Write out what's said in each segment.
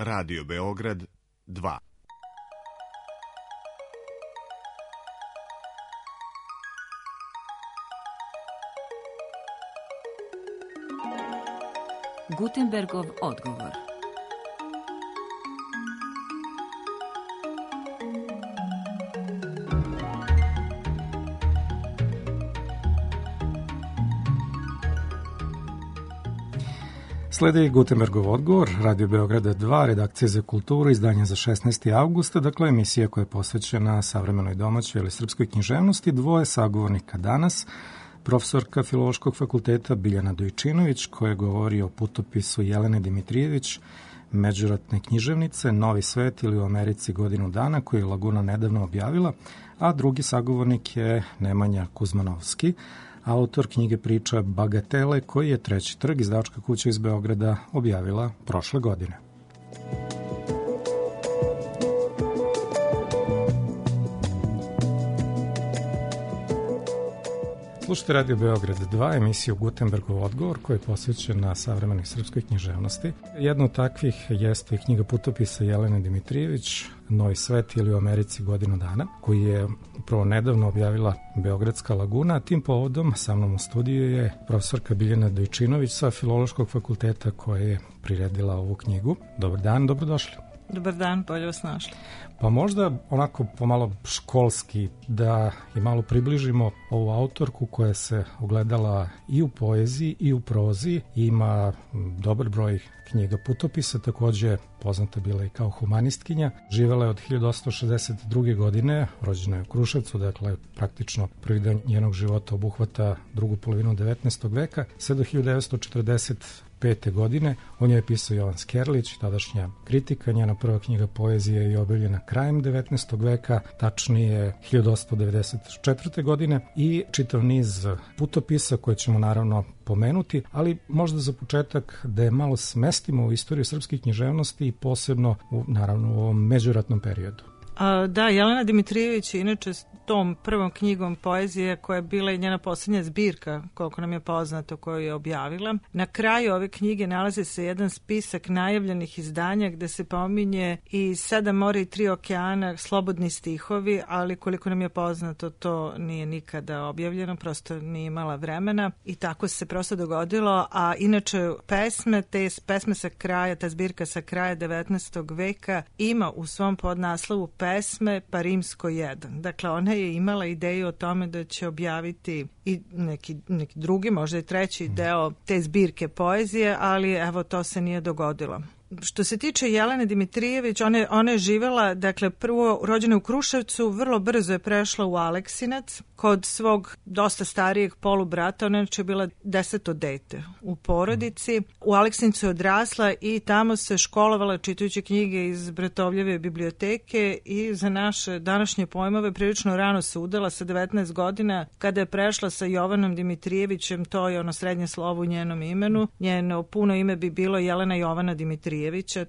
Radio Beograd 2. Gutenbergov odgovor. Sledi Gutenbergov odgovor, Radio Beograda 2, redakcija za kulturu, izdanje za 16. augusta, dakle emisija koja je posvećena savremenoj domaćoj ili srpskoj književnosti. Dvoje sagovornika danas, profesorka Filološkog fakulteta Biljana Dojčinović, koja govori o putopisu Jelene Dimitrijević, međuratne književnice, Novi svet ili u Americi godinu dana, koju je Laguna nedavno objavila, a drugi sagovornik je Nemanja Kuzmanovski, autor knjige priča Bagatele, koji je Treći trg, izdavačka kuća iz Beograda, objavila prošle godine. Slušajte Radio Beograd 2, emisiju Gutenbergov odgovor, koja je posvećena savremenoj srpskoj književnosti. Jedna od takvih jeste knjiga putopisa Jelene Dimitrijević, Novi svet ili u Americi godinu dana, koji je upravo nedavno objavila Beogradska Laguna. Tim povodom sa mnom u studiju je profesorka Biljana Dojčinović sa Filološkog fakulteta, koja je priredila ovu knjigu. Dobar dan, dobrodošli. Dobar dan, bolje vas našli. Pa možda onako pomalo školski da i malo približimo ovu autorku koja se ogledala i u poeziji i u prozi, ima dobar broj knjiga putopisa, takođe poznata bila i kao humanistkinja. Živela je od 1862. godine, rođena je u Kruševcu, dakle praktično prvi dan njenog života obuhvata drugu polovinu 19. veka, sve do 1945. godine. O njoj je pisao Jovan Skerlić, tadašnja kritika. Njena prva knjiga poezije je objavljena krajem 19. veka, tačnije 1894. godine, i čitav niz putopisa koje ćemo naravno pomenuti, ali možda za početak da je malo smestimo u istoriju srpske književnosti i posebno naravno u ovom međuratnom periodu. Da, Jelena Dimitrijević je inače s tom prvom knjigom poezije, koja je bila i njena posljednja zbirka, koliko nam je poznato, koju je objavila. Na kraju ove knjige nalazi se jedan spisak najavljenih izdanja gde se pominje i 7 mora i 3 okeana, slobodni stihovi, ali koliko nam je poznato to nije nikada objavljeno, prosto nije imala vremena i tako se prosto dogodilo. A inače pesme, te pesme sa kraja, ta zbirka sa kraja 19. veka ima u svom podnaslovu pesme pa rimsko 1. Dakle, ona je imala ideju o tome da će objaviti i neki drugi, možda i treći deo te zbirke poezije, ali evo to se nije dogodilo. Što se tiče Jelene Dimitrijević, ona je živela, dakle, prvo rođena u Kruševcu, vrlo brzo je prešla u Aleksinac, kod svog dosta starijeg polubrata. Ona je bila 10. dete u porodici. U Aleksincu je odrasla i tamo se školovala čitajući knjige iz Bratovljeve biblioteke i za naše današnje pojmove prilično rano se udala sa 19 godina, kada je prešla sa Jovanom Dimitrijevićem, to je ono srednje slovo u njenom imenu. Njeno puno ime bi bilo Jelena Jovana Dimitrijevića,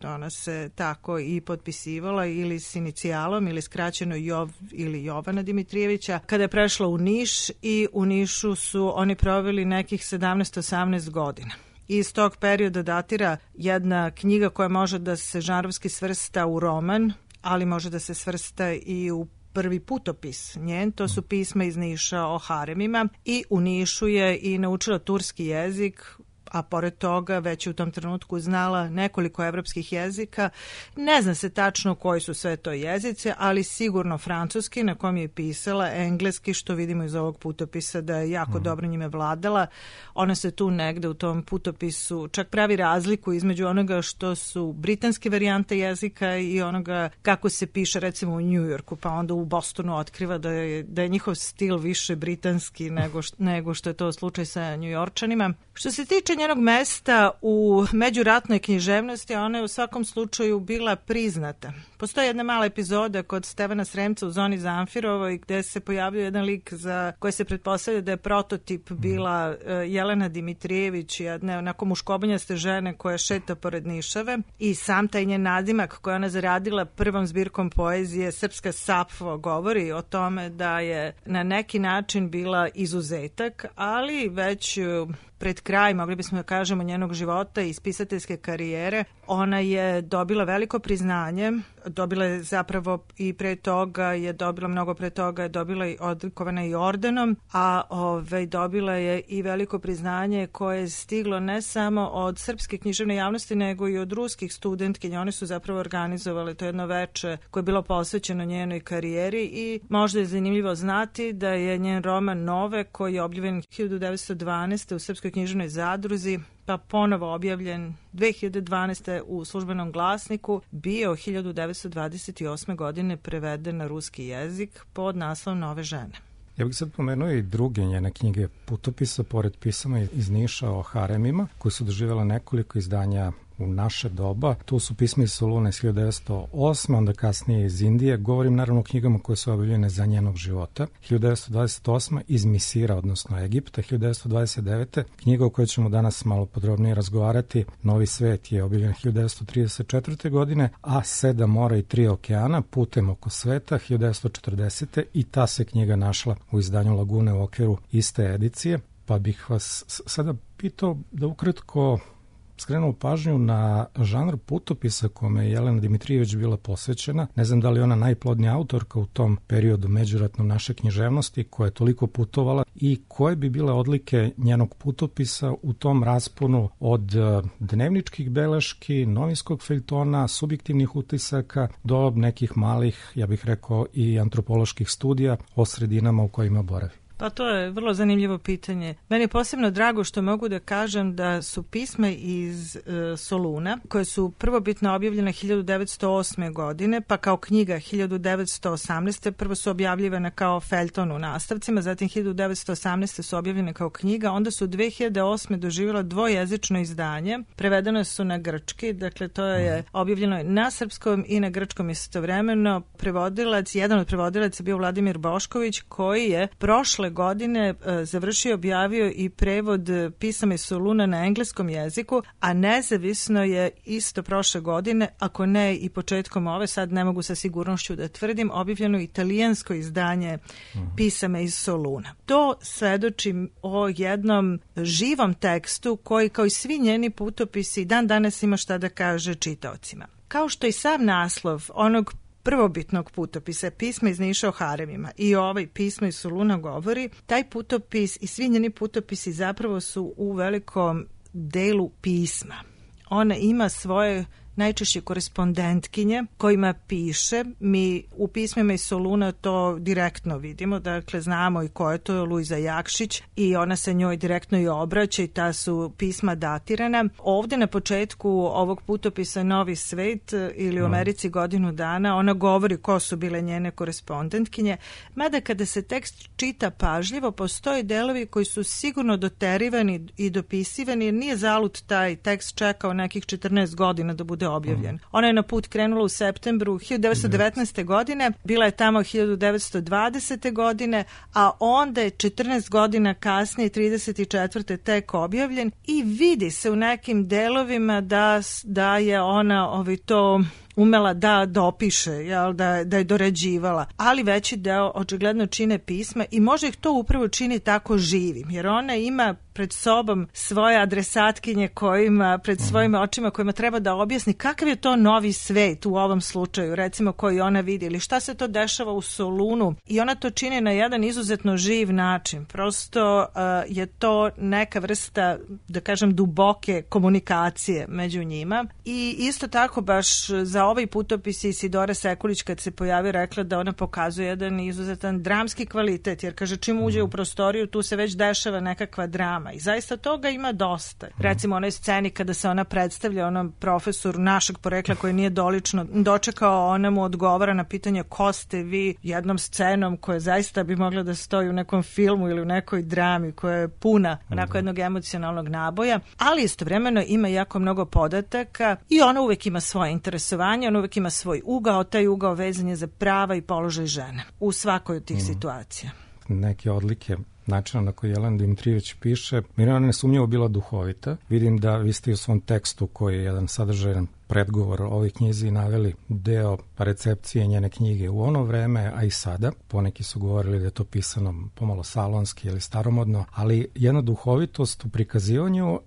ona se tako i potpisivala ili s inicijalom ili skraćeno Jov ili Jovana Dimitrijevića. Kada je prešla u Niš i u Nišu su oni proveli nekih 17-18 godina. Iz tog perioda datira jedna knjiga koja može da se žanrovski svrsta u roman, ali može da se svrsta i u prvi putopis njen, to su pisma iz Niša o haremima, i u Nišu je i naučila turski jezik, a pored toga već u tom trenutku znala nekoliko evropskih jezika. Ne zna se tačno koji su sve to jezice, ali sigurno francuski, na kom je pisala, engleski, što vidimo iz ovog putopisa da je jako dobro njime vladala. Ona se tu negde u tom putopisu čak pravi razliku između onoga što su britanske varijante jezika i onoga kako se piše recimo u New Yorku, pa onda u Bostonu otkriva da je njihov stil više britanski nego što je to slučaj sa New Yorkčanima. Što se tiče njenog mesta u međuratnoj književnosti, ona je u svakom slučaju bila priznata. Postoji jedna mala epizoda kod Stevana Sremca u Zoni Zamfirovoj gde se pojavljuje jedan lik za koji se pretpostavlja da je prototip bila Jelena Dimitrijević, jedna onako muškobonjaste žene koja šeta pored Nišave, i sam taj njen nadimak koji ona zaradila prvom zbirkom poezije Srpska Sapfo govori o tome da je na neki način bila izuzetak, ali već pred kraj, mogli bismo smo da kažemo njenog života i spisateljske karijere, ona je dobila veliko priznanje, dobila je zapravo i pre toga je dobila, mnogo pre toga je dobila i odlikovana i ordenom, a dobila je i veliko priznanje koje je stiglo ne samo od srpske književne javnosti, nego i od ruskih studentkinja. One su zapravo organizovali to jedno veče koje je bilo posvećeno njenoj karijeri i možda je zanimljivo znati da je njen roman Nove, koji je objavljen 1912. u Srpskoj književnoj zadruzi, pa ponovo objavljen 2012. u Službenom glasniku, bio 1928. godine preveden na ruski jezik pod naslovom Nove žene. Ja bih sad pomenuo i druge njene knjige putopisa, pored pisama iz Niša o haremima, koje su doživjela nekoliko izdanja u naše doba. Tu su pisma iz Soluna iz 1908. onda kasnije iz Indije. Govorim naravno o knjigama koje su objavljene za njenog života. 1928. iz Misira, odnosno Egipta. 1929. knjiga o kojoj ćemo danas malo podrobnije razgovarati, Novi svet, je objavljen 1934. godine, a 7 mora i 3 okeana, Putem oko sveta, 1940. i ta se knjiga našla u izdanju Lagune u okviru iste edicije. Pa bih vas sada pitao da ukratko skrenuo pažnju na žanr putopisa kome je Jelena Dimitrijević bila posvećena. Ne znam da li je ona najplodnija autorka u tom periodu međuratnom naše književnosti koja je toliko putovala i koje bi bile odlike njenog putopisa u tom rasponu od dnevničkih beleški, novinskog feljtona, subjektivnih utisaka do nekih malih, ja bih rekao, i antropoloških studija o sredinama u kojima boravi. Pa to je vrlo zanimljivo pitanje. Meni je posebno drago što mogu da kažem da su pisma iz Soluna, koje su prvobitno objavljene 1908. godine, pa kao knjiga 1918. Prvo su objavljivane kao feljton u nastavcima, zatim 1918. su objavljene kao knjiga, onda su 2008. doživjela dvojezično izdanje, prevedene su na grčki, dakle to je objavljeno na srpskom i na grčkom istovremeno. Jedan od prevodilaca bio Vladimir Bošković, koji je prošle godine završio i objavio i prevod pisama iz Soluna na engleskom jeziku, a nezavisno je isto prošle godine, ako ne i početkom ove, sad ne mogu sa sigurnošću da tvrdim, objavljeno italijansko izdanje pisama iz Soluna. To svedoči o jednom živom tekstu koji, kao i svi njeni putopisi, dan danas ima šta da kaže čitaocima. Kao što i sam naslov onog prvobitnog putopisa, pisma iz Niša o haremima, i ovaj pisma iz Soluna govori, taj putopis i svi njeni putopisi zapravo su u velikom delu pisma. Ona ima svoje najčešće korespondentkinje kojima piše. Mi u pismima iz Soluna to direktno vidimo, dakle znamo i ko je to, Luiza Jakšić, i ona se njoj direktno i obraća i ta su pisma datirana. Ovde na početku ovog putopisa Novi svet ili u Americi godinu dana ona govori ko su bile njene korespondentkinje, mada kada se tekst čita pažljivo postoje delovi koji su sigurno doterivani i dopisivani, jer nije zalud taj tekst čekao nekih 14 godina da bude objavljen. Ona je na put krenula u septembru 1919. godine, bila je tamo 1920. godine, a onda je 14 godina kasnije, 34. tek objavljen i vidi se u nekim delovima da je ona to umela da dopiše, da je dorađivala, ali veći deo očigledno čine pisma i može ih to upravo čini tako živim, jer ona ima pred sobom svoje adresatkinje kojima, pred svojim očima kojima treba da objasni kakav je to novi svet u ovom slučaju, recimo koji ona vidi, ili šta se to dešava u Solunu, i ona to čini na jedan izuzetno živ način. Prosto je to neka vrsta, da kažem, duboke komunikacije među njima. I isto tako baš za ovaj putopis Isidora Sekulić kad se pojavi rekla da ona pokazuje jedan izuzetan dramski kvalitet, jer kaže čim uđe u prostoriju tu se već dešava nekakva drama i zaista toga ima dosta. Recimo onoj sceni kada se ona predstavlja onom profesoru našeg porekla koji nije dolično dočekao, ona mu odgovara na pitanje ko ste vi, jednom scenom koja zaista bi mogla da stoji u nekom filmu ili u nekoj drami koja je puna onako jednog emocionalnog naboja, ali istovremeno ima jako mnogo podataka i ona uvek ima svoje interesovanje, ona uvek ima svoj ugao, taj ugao vezan je za prava i položaj žene u svakoj od tih situacija. Neke odlike načina na koji Jelena Dimitrijević piše, Mirjana nesumnjivo bila duhovita. Vidim da vi ste u svom tekstu, koji je jedan sadržajan predgovor o ovoj knjizi naveli deo recepcije njene knjige u ono vreme, a i sada. Poneki su govorili da je to pisano pomalo salonski ili staromodno, ali jedna duhovitost u prikazivanju,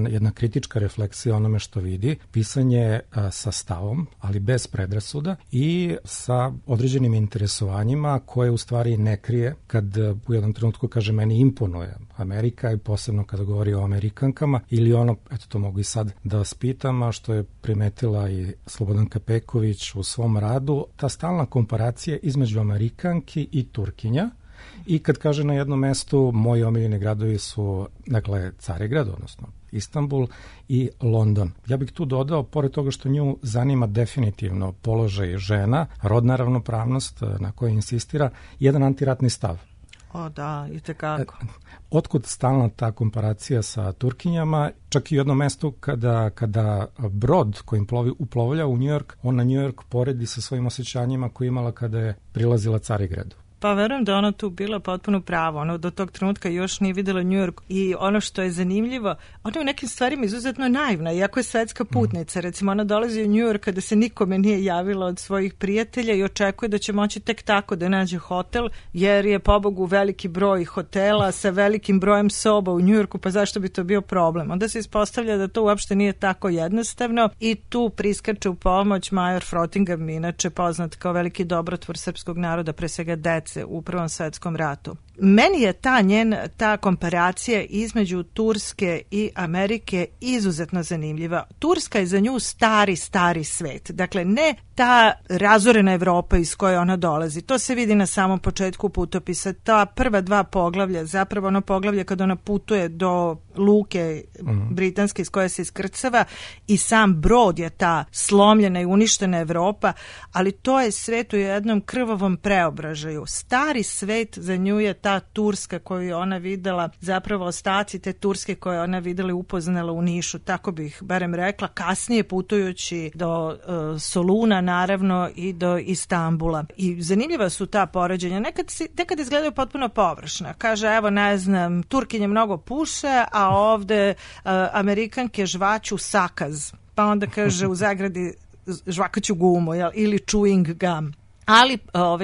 jedna kritička refleksija onome što vidi, pisanje sa stavom, ali bez predrasuda i sa određenim interesovanjima koje u stvari ne krije kad u jednom trenutku kaže meni imponuje Amerika i posebno kada govori o Amerikankama ili ono, eto to mogu i sad da vas pitam, a što je primetila i Slobodanka Peković u svom radu, ta stalna komparacija između Amerikanki i Turkinja. I kad kaže na jednom mestu moji omiljeni gradovi su, dakle, Carigrad, odnosno Istanbul i London. Ja bih tu dodao, pored toga što nju zanima definitivno položaj žena, rodna ravnopravnost na kojoj insistira, jedan antiratni stav. O da, i tekako. Otkud stalna ta komparacija sa Turkinjama, čak i u jednom mestu kada brod kojim uplovlja u Njujork, on na Njujork poredi sa svojim osjećanjima koje imala kada je prilazila Carigradu. Pa verujem da ona tu bila potpuno pravo. Ona do tog trenutka još nije videla New York i ono što je zanimljivo, ona je u nekim stvarima izuzetno naivna, iako je svetska putnica. Recimo, ona dolazi u New York kada se nikome nije javila od svojih prijatelja i očekuje da će moći tek tako da nađe hotel, jer je pobogu veliki broj hotela sa velikim brojem soba u New Yorku, pa zašto bi to bio problem? Onda se ispostavlja da to uopšte nije tako jednostavno i tu priskače u pomoć major Frottingham, inače poznat kao veliki dobrotvor srpskog naroda, pre svega dece u Prvom svetskom ratu. Meni je ta komparacija između Turske i Amerike izuzetno zanimljiva. Turska je za nju stari svet. Dakle, ne ta razorena Evropa iz koje ona dolazi. To se vidi na samom početku putopisa. Ta prva dva poglavlja, zapravo ono poglavlje kada ona putuje do luke britanske iz koje se iskrcava i sam brod je ta slomljena i uništena Evropa, ali to je svet u jednom krvavom preobražaju. Stari svet za nju je ta Turska koju je ona videla, zapravo ostaci te Turske koje ona videla i upoznala u Nišu, tako bih barem rekla, kasnije putujući do Soluna naravno i do Istambula. I zanimljiva su ta poređenja, nekad izgledaju potpuno površna. Kaže, evo ne znam, Turkinje mnogo puše, a ovde Amerikanke žvaću sakaz. Pa onda kaže u zagradi žvakaću gumu, ili chewing gum. Ali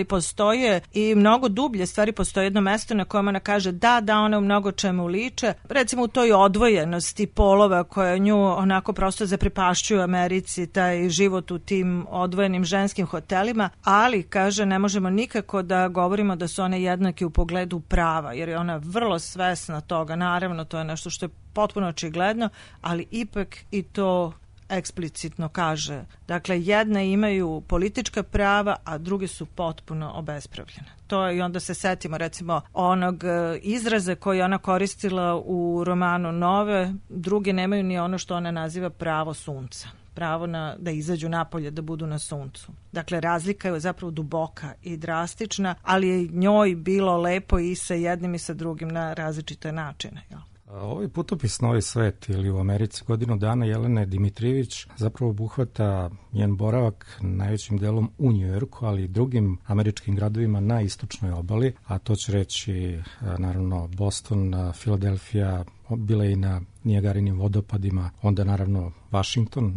postoje i mnogo dublje stvari, postoje jedno mesto na kojem ona kaže da one u mnogo čemu liče, recimo u toj odvojenosti polova koja nju onako prosto zaprepašćuju u Americi, taj život u tim odvojenim ženskim hotelima, ali kaže ne možemo nikako da govorimo da su one jednake u pogledu prava, jer je ona vrlo svesna toga, naravno to je nešto što je potpuno očigledno, ali ipak i to eksplicitno kaže. Dakle, jedne imaju politička prava, a druge su potpuno obespravljene. To je, i onda se setimo recimo onog izraza koji ona koristila u romanu Nove, druge nemaju ni ono što ona naziva pravo sunca. Pravo da izađu napolje, da budu na suncu. Dakle, razlika je zapravo duboka i drastična, ali je njoj bilo lepo i sa jednim i sa drugim na različite načine, jel? Ovaj putopis Novi svet ili u Americi godinu dana Jelene Dimitrijević zapravo obuhvata njen boravak najvećim delom u Njujorku, ali i drugim američkim gradovima na istočnoj obali, a to će reći naravno Boston, Filadelfija, bila i na Nijagarinim vodopadima, onda naravno Washington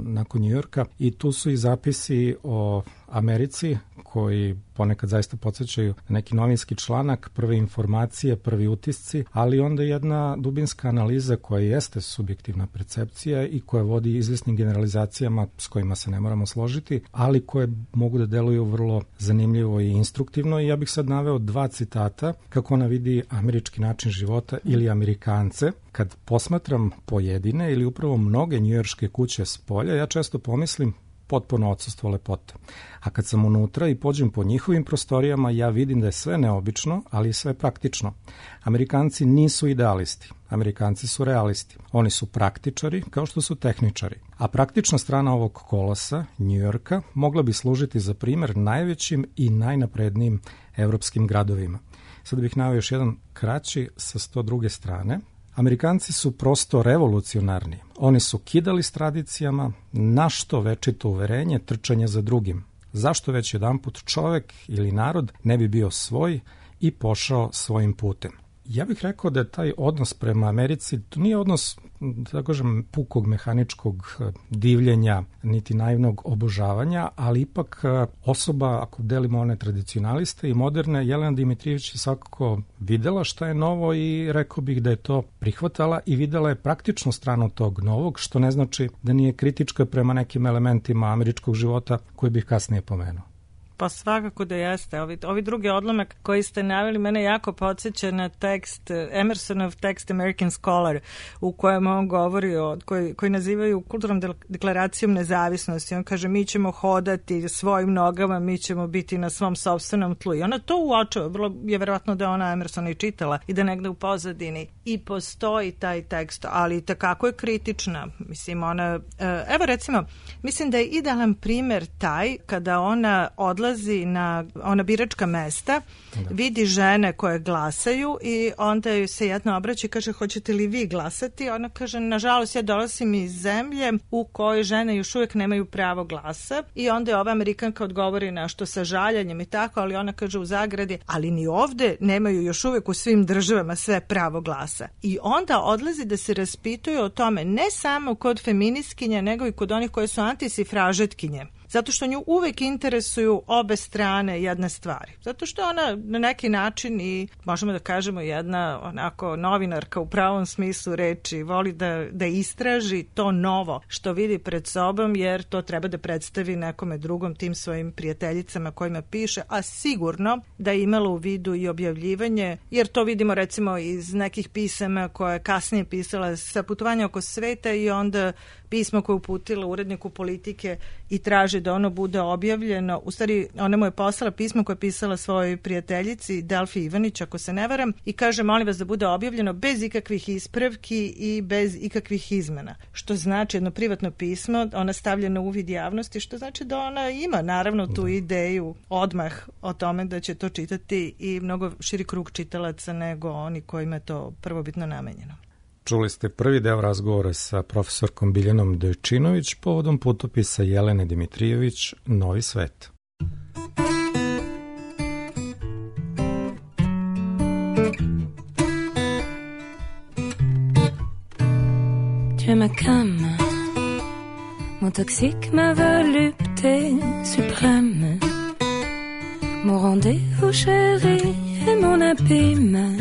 nakon Njujorka, i tu su i zapisi o Americi koji ponekad zaista podsjećaju neki novinski članak, prve informacije, prvi utisci, ali onda jedna dubinska analiza koja jeste subjektivna percepcija i koja vodi izvesnim generalizacijama s kojima se ne moramo složiti, ali koje mogu da deluju vrlo zanimljivo i instruktivno. I ja bih sad naveo dva citata kako ona vidi američki način života ili Amerikance. Kad posmatram pojedine ili upravo mnoge njujorške kuće s polja, ja često pomislim potpuno odsustvo lepote. A kad sam unutra i pođem po njihovim prostorijama, ja vidim da je sve neobično, ali i sve praktično. Amerikanci nisu idealisti, Amerikanci su realisti. Oni su praktičari kao što su tehničari. A praktična strana ovog kolosa, Njujorka, mogla bi služiti za primer najvećim i najnaprednijim evropskim gradovima. Sad bih naveo još jedan kraći sa 102. strane. Amerikanci su prosto revolucionarni. Oni su kidali s tradicijama, na što večito uverenje, trčanje za drugim. Zašto već jedanput čovek ili narod ne bi bio svoj i pošao svojim putem? Ja bih rekao da je taj odnos prema Americi, to nije odnos, da kažem, pukog mehaničkog divljenja, niti naivnog obožavanja, ali ipak osoba, ako delimo one tradicionaliste i moderne, Jelena Dimitrijević je svakako videla šta je novo i rekao bih da je to prihvatala i videla je praktičnu stranu tog novog, što ne znači da nije kritička prema nekim elementima američkog života koje bih kasnije pomenuo. Pa svakako da jeste. Ovi drugi odlomak koji ste naveli mene jako podsjeća na tekst, Emersonov tekst American Scholar, u kojem on govori koji nazivaju kulturnom deklaracijom nezavisnosti. On kaže, mi ćemo hodati svojim nogama, mi ćemo biti na svom sopstvenom tlu. I ona to uočava. Vrlo je verovatno da ona Emersona i čitala i da negde u pozadini i postoji taj tekst, ali takako je kritična. Mislim, ona, evo recimo, mislim da je idealan primer taj kada ona odlazi na ona biračka mesta, vidi žene koje glasaju i onda joj se jedna obraća i kaže, hoćete li vi glasati? Ona kaže, nažalost, ja dolazim iz zemlje u kojoj žene još uvijek nemaju pravo glasa i onda je ova Amerikanka odgovori nešto sa žaljanjem i tako, ali ona kaže u zagradi, ali ni ovde nemaju još uvijek u svim državama sve pravo glasa. I onda odlazi da se raspituju o tome ne samo kod feministkinja, nego i kod onih koje su antisifražetkinje. Zato što nju uvek interesuju obe strane jedne stvari. Zato što ona na neki način i možemo da kažemo jedna onako novinarka u pravom smislu reči, voli da istraži to novo što vidi pred sobom, jer to treba da predstavi nekome drugom, tim svojim prijateljicama kojima piše, a sigurno da je imala u vidu i objavljivanje, jer to vidimo recimo iz nekih pisama koje je kasnije pisala sa putovanja oko sveta i onda pismo koje uputila uredniku Politike i traži da ono bude objavljeno. U stvari, ona mu je poslala pismo koje je pisala svojoj prijateljici Delfi Ivanić, ako se ne varam, i kaže, molim vas da bude objavljeno bez ikakvih ispravki i bez ikakvih izmena. Što znači jedno privatno pismo, ona stavlja na uvid javnosti, što znači da ona ima naravno tu ideju odmah o tome da će to čitati i mnogo širi krug čitalaca nego oni kojima je to prvobitno namenjeno. Čuli ste prvi deo razgovora sa profesorkom Biljanom Dojčinović povodom putopisa Jelene Dimitrijević Novi svet. Tu es ma came, mon toxique, ma volupté suprême, mon rendez-vous chéri et mon abîme.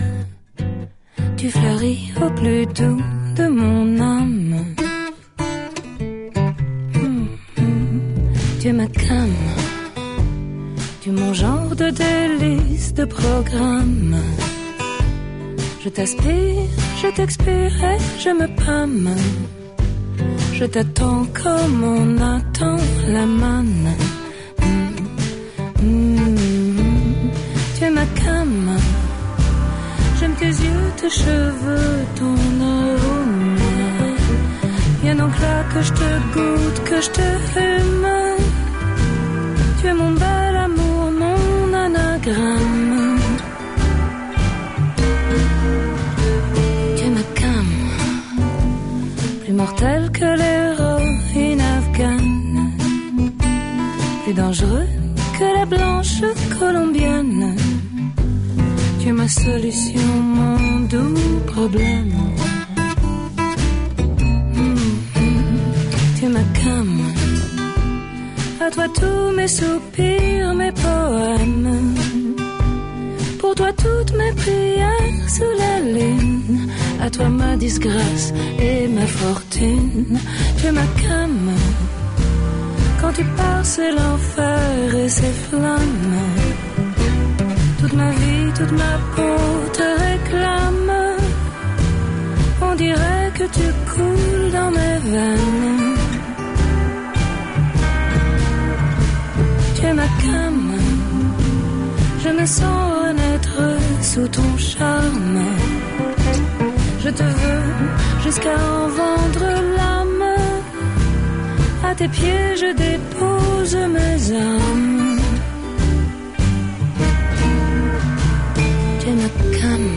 Tu fleuris au plus doux de mon âme. Tu es ma came, tu es mon genre de délice, de programme. Je t'aspire, je t'expire et je me pâme. Je t'attends comme on attend la manne. Tu es ma came. J'aime tes yeux, tes cheveux, ton arôme. Viens donc là que je te goûte, que je te fume. Tu es mon bel amour, mon anagramme. Tu es ma came, plus mortelle que l'héroïne afghane, plus dangereux que la blanche colombienne. Tu es ma solution, mon doux problème. Tu es ma came. À toi tous mes soupirs, mes poèmes. Pour toi toutes mes prières sous la lune. À toi ma disgrâce et ma fortune. Tu es ma came. Quand tu pars c'est l'enfer et ses flammes. Toute ma vie, toute ma peau te réclame. On dirait que tu coules dans mes veines. Tu es ma came. Je me sens renaître sous ton charme. Je te veux jusqu'à en vendre l'âme. À tes pieds je dépose mes armes. Tu es ma came.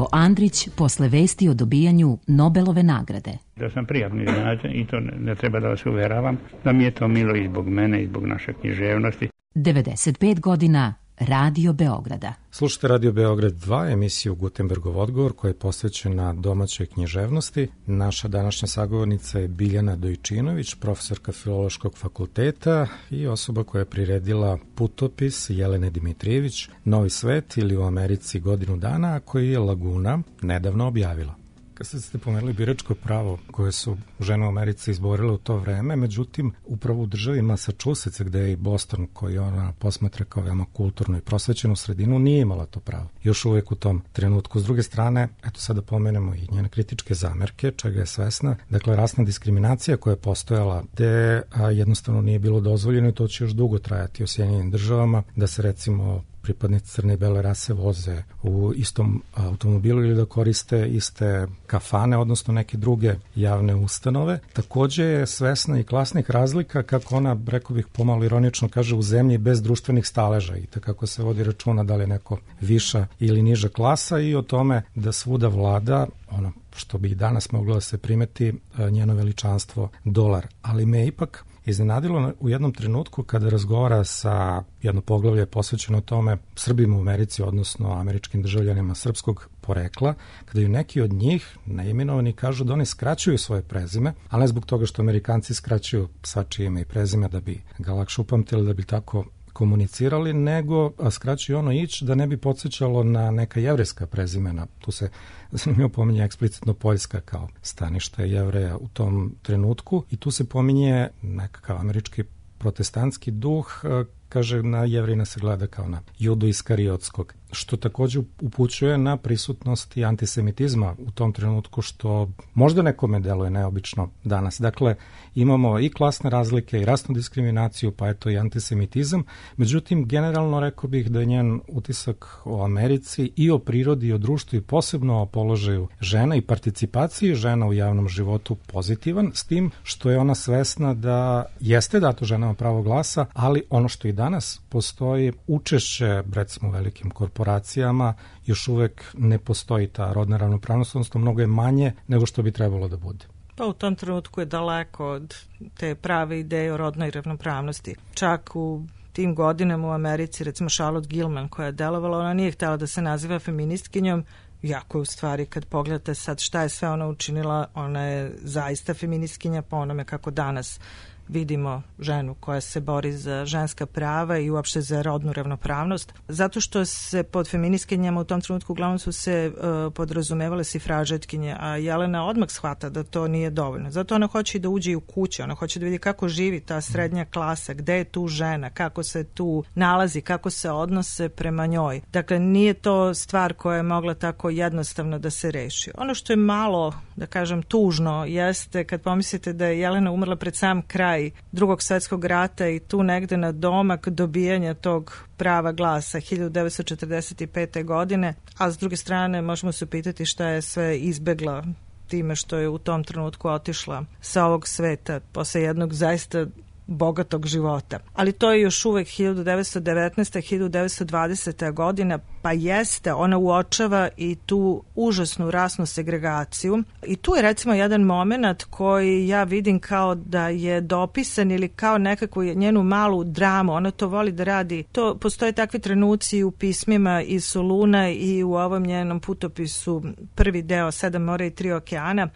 Ivo Andrić posle vesti o dobijanju Nobelove nagrade. Da sam prijatno iznenađen i to ne treba da vas uveravam, da mi je to milo i zbog mene i zbog naše književnosti. 95 godina Radio Beograda. Slušajte Radio Beograd 2, emisiju Gutenbergov odgovor koja je posvećena domaćoj književnosti. Naša današnja sagovornica je Biljana Dojčinović, profesorka Filološkog fakulteta i osoba koja je priredila putopis Jelene Dimitrijević Novi svet ili u Americi godinu dana, koji je Laguna nedavno objavila. Kad ste pomenuli biračko pravo koje su žene u Americi izborile u to vreme, međutim, upravo u državi Massachusetts, gde je i Boston, koji ona posmatra kao veoma kulturnu i prosvećenu sredinu, nije imala to pravo. Još uvek u tom trenutku. S druge strane, eto sada pomenemo i njene kritičke zamerke, čega je svesna. Dakle, rasna diskriminacija koja je postojala, gde jednostavno nije bilo dozvoljeno i to će još dugo trajati u Sjedinjenim državama, da se recimo pripadnici crne i bele rase voze u istom automobilu ili da koriste iste kafane, odnosno neke druge javne ustanove. Takođe je svesna i klasnih razlika, kako ona, rekao bih pomalo ironično, kaže, u zemlji bez društvenih staleža i tako se vodi računa da li je neko viša ili niža klasa i o tome da svuda vlada ono što bi i danas moglo da se primeti, njeno veličanstvo dolar. Ali me ipak iznenadilo u jednom trenutku kada razgovara sa jedno poglavlje posvećeno tome Srbima u Americi, odnosno američkim državljanima srpskog porekla, kada ju neki od njih neimenovani kažu da oni skraćuju svoje prezime, ali ne zbog toga što Amerikanci skraćuju svačije ime i prezime da bi ga lakše upamtili, da bi tako komunicirali, nego skraćuju ono da ne bi podsjećalo na neka jevrejska prezimena. Tu se zanimljivo pominje eksplicitno Poljska kao stanište Jevreja u tom trenutku i tu se pominje nekakav američki protestantski duh, kaže na Jevrina se gleda kao na Judu Iskariotskog, što takođe upućuje na prisutnost i antisemitizma u tom trenutku, što možda nekome deluje neobično danas. Dakle, imamo i klasne razlike i rasnu diskriminaciju, pa eto i antisemitizam. Međutim, generalno rekao bih da je njen utisak o Americi i o prirodi i o društvu i posebno o položaju žena i participaciji žena u javnom životu pozitivan, s tim što je ona svesna da jeste dato ženama pravo glasa, ali ono što i danas postoji učešće, recimo, velikim korporacijama, još uvek ne postoji ta rodna ravnopravnost, odnosno mnogo je manje nego što bi trebalo da bude. Pa u tom trenutku je daleko od te prave ideje o rodnoj ravnopravnosti. Čak u tim godinama u Americi, recimo Charlotte Gilman koja je delovala, ona nije htjela da se naziva feministkinjom, jako je u stvari kad pogledate sad šta je sve ona učinila, ona je zaista feministkinja po onome kako danas vidimo ženu koja se bori za ženska prava i uopšte za rodnu ravnopravnost, zato što se pod feministkinjama u tom trenutku uglavnom su se podrazumevale sifražetkinje, a Jelena odmah shvata da to nije dovoljno. Zato ona hoće da uđe i u kuće, ona hoće da vidi kako živi ta srednja klasa, gde je tu žena, kako se tu nalazi, kako se odnose prema njoj. Dakle, nije to stvar koja je mogla tako jednostavno da se reši. Ono što je malo, da kažem, tužno jeste kad pomislite da je Jelena umrla pred sam kraj Drugog svjetskog rata i tu negde na domak dobijanja tog prava glasa 1945. godine, a s druge strane možemo se pitati šta je sve izbegla time što je u tom trenutku otišla sa ovog sveta posle jednog zaista bogatog života. Ali to je još uvek 1919. 1920. godina, pa jeste, ona uočava i tu užasnu rasnu segregaciju. I tu je recimo jedan moment koji ja vidim kao da je dopisan ili kao nekakvu njenu malu dramu. Ona to voli da radi. To postoje takvi trenuci u pismima i Soluna i u ovom njenom putopisu prvi deo 7 mora i 3 okeana,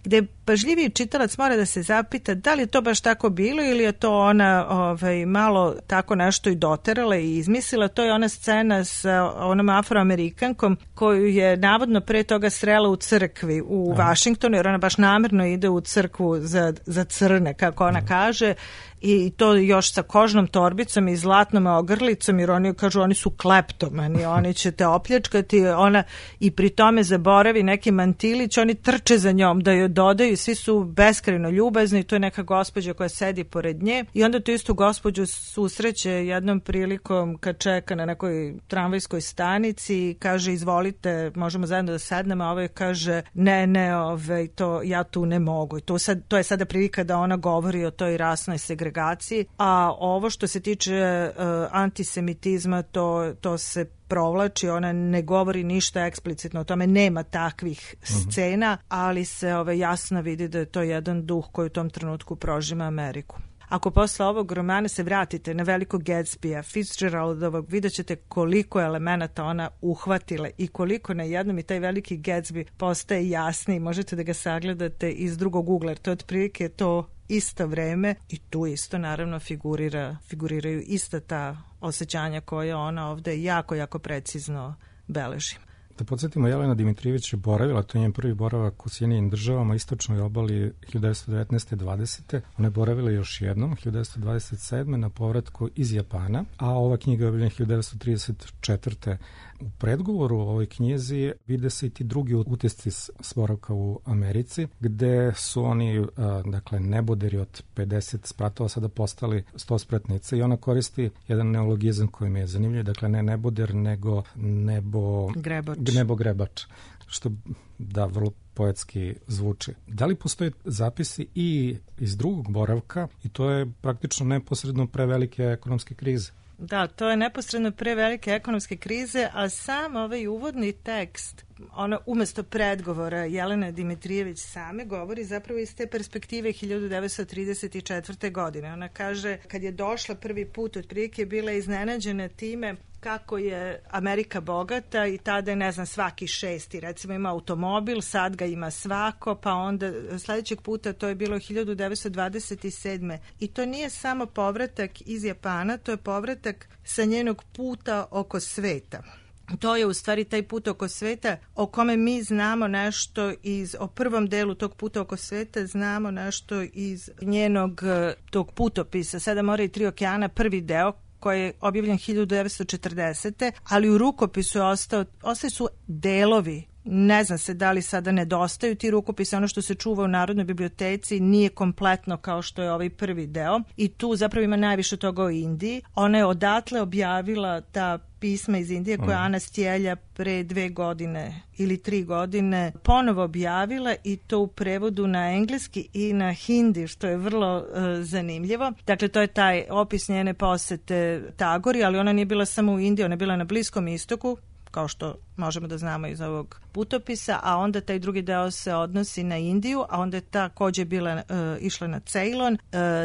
gde pažljiviji čitalac mora da se zapita da li je to baš tako bilo ili je to ona malo tako nešto i doterala i izmislila. To je ona scena sa onom Afroamerikankom koju je navodno pre toga srela u crkvi u Vašingtonu, jer ona baš namerno ide u crkvu za crne, kako ona kaže, i to još sa kožnom torbicom i zlatnom ogrlicom, jer oni kažu oni su kleptomani, oni će te opljačkati, ona i pri tome zaboravi neki mantilić, oni trče za njom da joj dodaju, svi su beskrajno ljubazni, to je neka gospođa koja sedi pored nje i onda tu istu gospođu susreće jednom prilikom kad čeka na nekoj tramvajskoj stanici i kaže izvolite, možemo zajedno da sednemo, a ovaj kaže ne, to ja tu ne mogu. I to je sada prilika da ona govori o toj rasnoj segregaciji segregaciji, a ovo što se tiče antisemitizma, to se provlači, ona ne govori ništa eksplicitno o tome, nema takvih scena, ali se jasno vidi da je to jedan duh koji u tom trenutku prožima Ameriku. Ako posle ovog romana se vratite na Velikog Gatsbya, Fitzgeraldovog, vidjet ćete koliko elemenata ona uhvatila i koliko na jednom i taj Veliki Gatsby postaje jasniji. Možete da ga sagledate iz drugog ugla, jer to je otprilike to isto vreme i tu isto naravno figuriraju ista ta osjećanja koje ona ovde jako, jako precizno beleži. Da podsjetimo, Jelena Dimitrijević je boravila, to je njen prvi boravak u Sjedinjenim državama, istočnoj obali 1919. 20. Ona je boravila još jednom, 1927. na povratku iz Japana, a ova knjiga je objavljena 1934. U predgovoru o ovoj knjizi vide se i ti drugi utisci s boravka u Americi, gde su oni, neboderi od 50 spratova sada postali 100 spratnice i ona koristi jedan neologizam koji mi je zanimljiv, dakle ne neboder, nego nebogrebač, što da vrlo poetski zvuči. Da li postoje zapisi i iz drugog boravka i to je praktično neposredno pre velike ekonomske krize? Da, to je neposredno pre velike ekonomske krize, a sam ovaj uvodni tekst, ona umesto predgovora Jelene Dimitrijević same govori zapravo iz te perspektive 1934. godine. Ona kaže, kad je došla prvi put, otprilike je bila iznenađena time kako je Amerika bogata i tada je, ne znam, svaki šesti recimo ima automobil, sad ga ima svako, pa onda sledećeg puta to je bilo 1927. I to nije samo povratak iz Japana, to je povratak sa njenog puta oko sveta. To je u stvari taj put oko sveta o kome mi znamo nešto o prvom delu tog puta oko sveta, znamo nešto iz njenog tog putopisa 7 mora i 3 okeana, prvi deo, koji je objavljen 1940. ali u rukopisu ostaju su delovi. Ne zna se da li sada nedostaju ti rukopise, ono što se čuva u Narodnoj biblioteci nije kompletno kao što je ovaj prvi deo i tu zapravo ima najviše toga o Indiji. Ona je odatle objavila ta pisma iz Indije koja Ana Stjelja pre 2 godine ili 3 godine ponovo objavila i to u prevodu na engleski i na hindi, što je vrlo zanimljivo. Dakle, to je taj opis njene posete Tagori, ali ona nije bila samo u Indiji, ona je bila na Bliskom istoku, kao što možemo da znamo iz ovog putopisa, a onda taj drugi deo se odnosi na Indiju, a onda je takođe išla na Ceylon,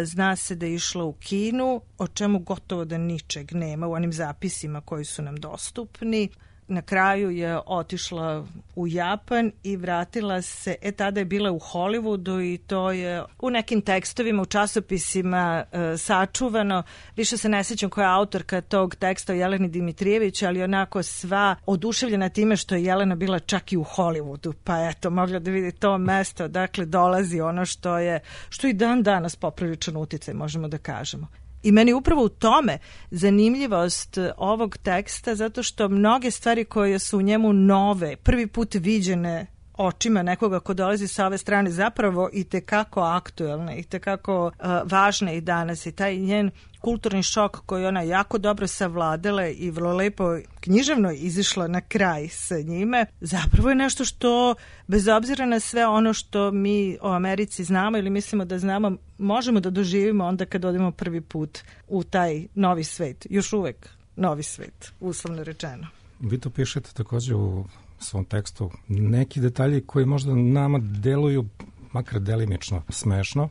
zna se da je išla u Kinu, o čemu gotovo da ničeg nema u onim zapisima koji su nam dostupni. Na kraju je otišla u Japan i vratila se, tada je bila u Hollywoodu i to je u nekim tekstovima, u časopisima sačuvano. Više se ne sjećam koja je autorka tog teksta o Jeleni Dimitrijević, ali onako sva oduševljena time što je Jelena bila čak i u Hollywoodu, pa eto, mogla da vidi to mesto, dakle dolazi ono što i dan danas popriličan uticaj, možemo da kažemo. I meni je upravo u tome zanimljivost ovog teksta, zato što mnoge stvari koje su u njemu nove, prvi put viđene očima nekoga ko dolazi sa ove strane, zapravo i tekako aktuelne, i tekako važne i danas. I taj njen kulturni šok koji ona jako dobro savladala i vrlo lepo književno izišla na kraj sa njime, zapravo je nešto što, bez obzira na sve ono što mi o Americi znamo ili mislimo da znamo, možemo da doživimo onda kad odemo prvi put u taj novi svet. Još uvek novi svet, uslovno rečeno. Vi to pišete takođe u svom tekstu. Neki detalji koji možda nama deluju, makar delimično, smešno.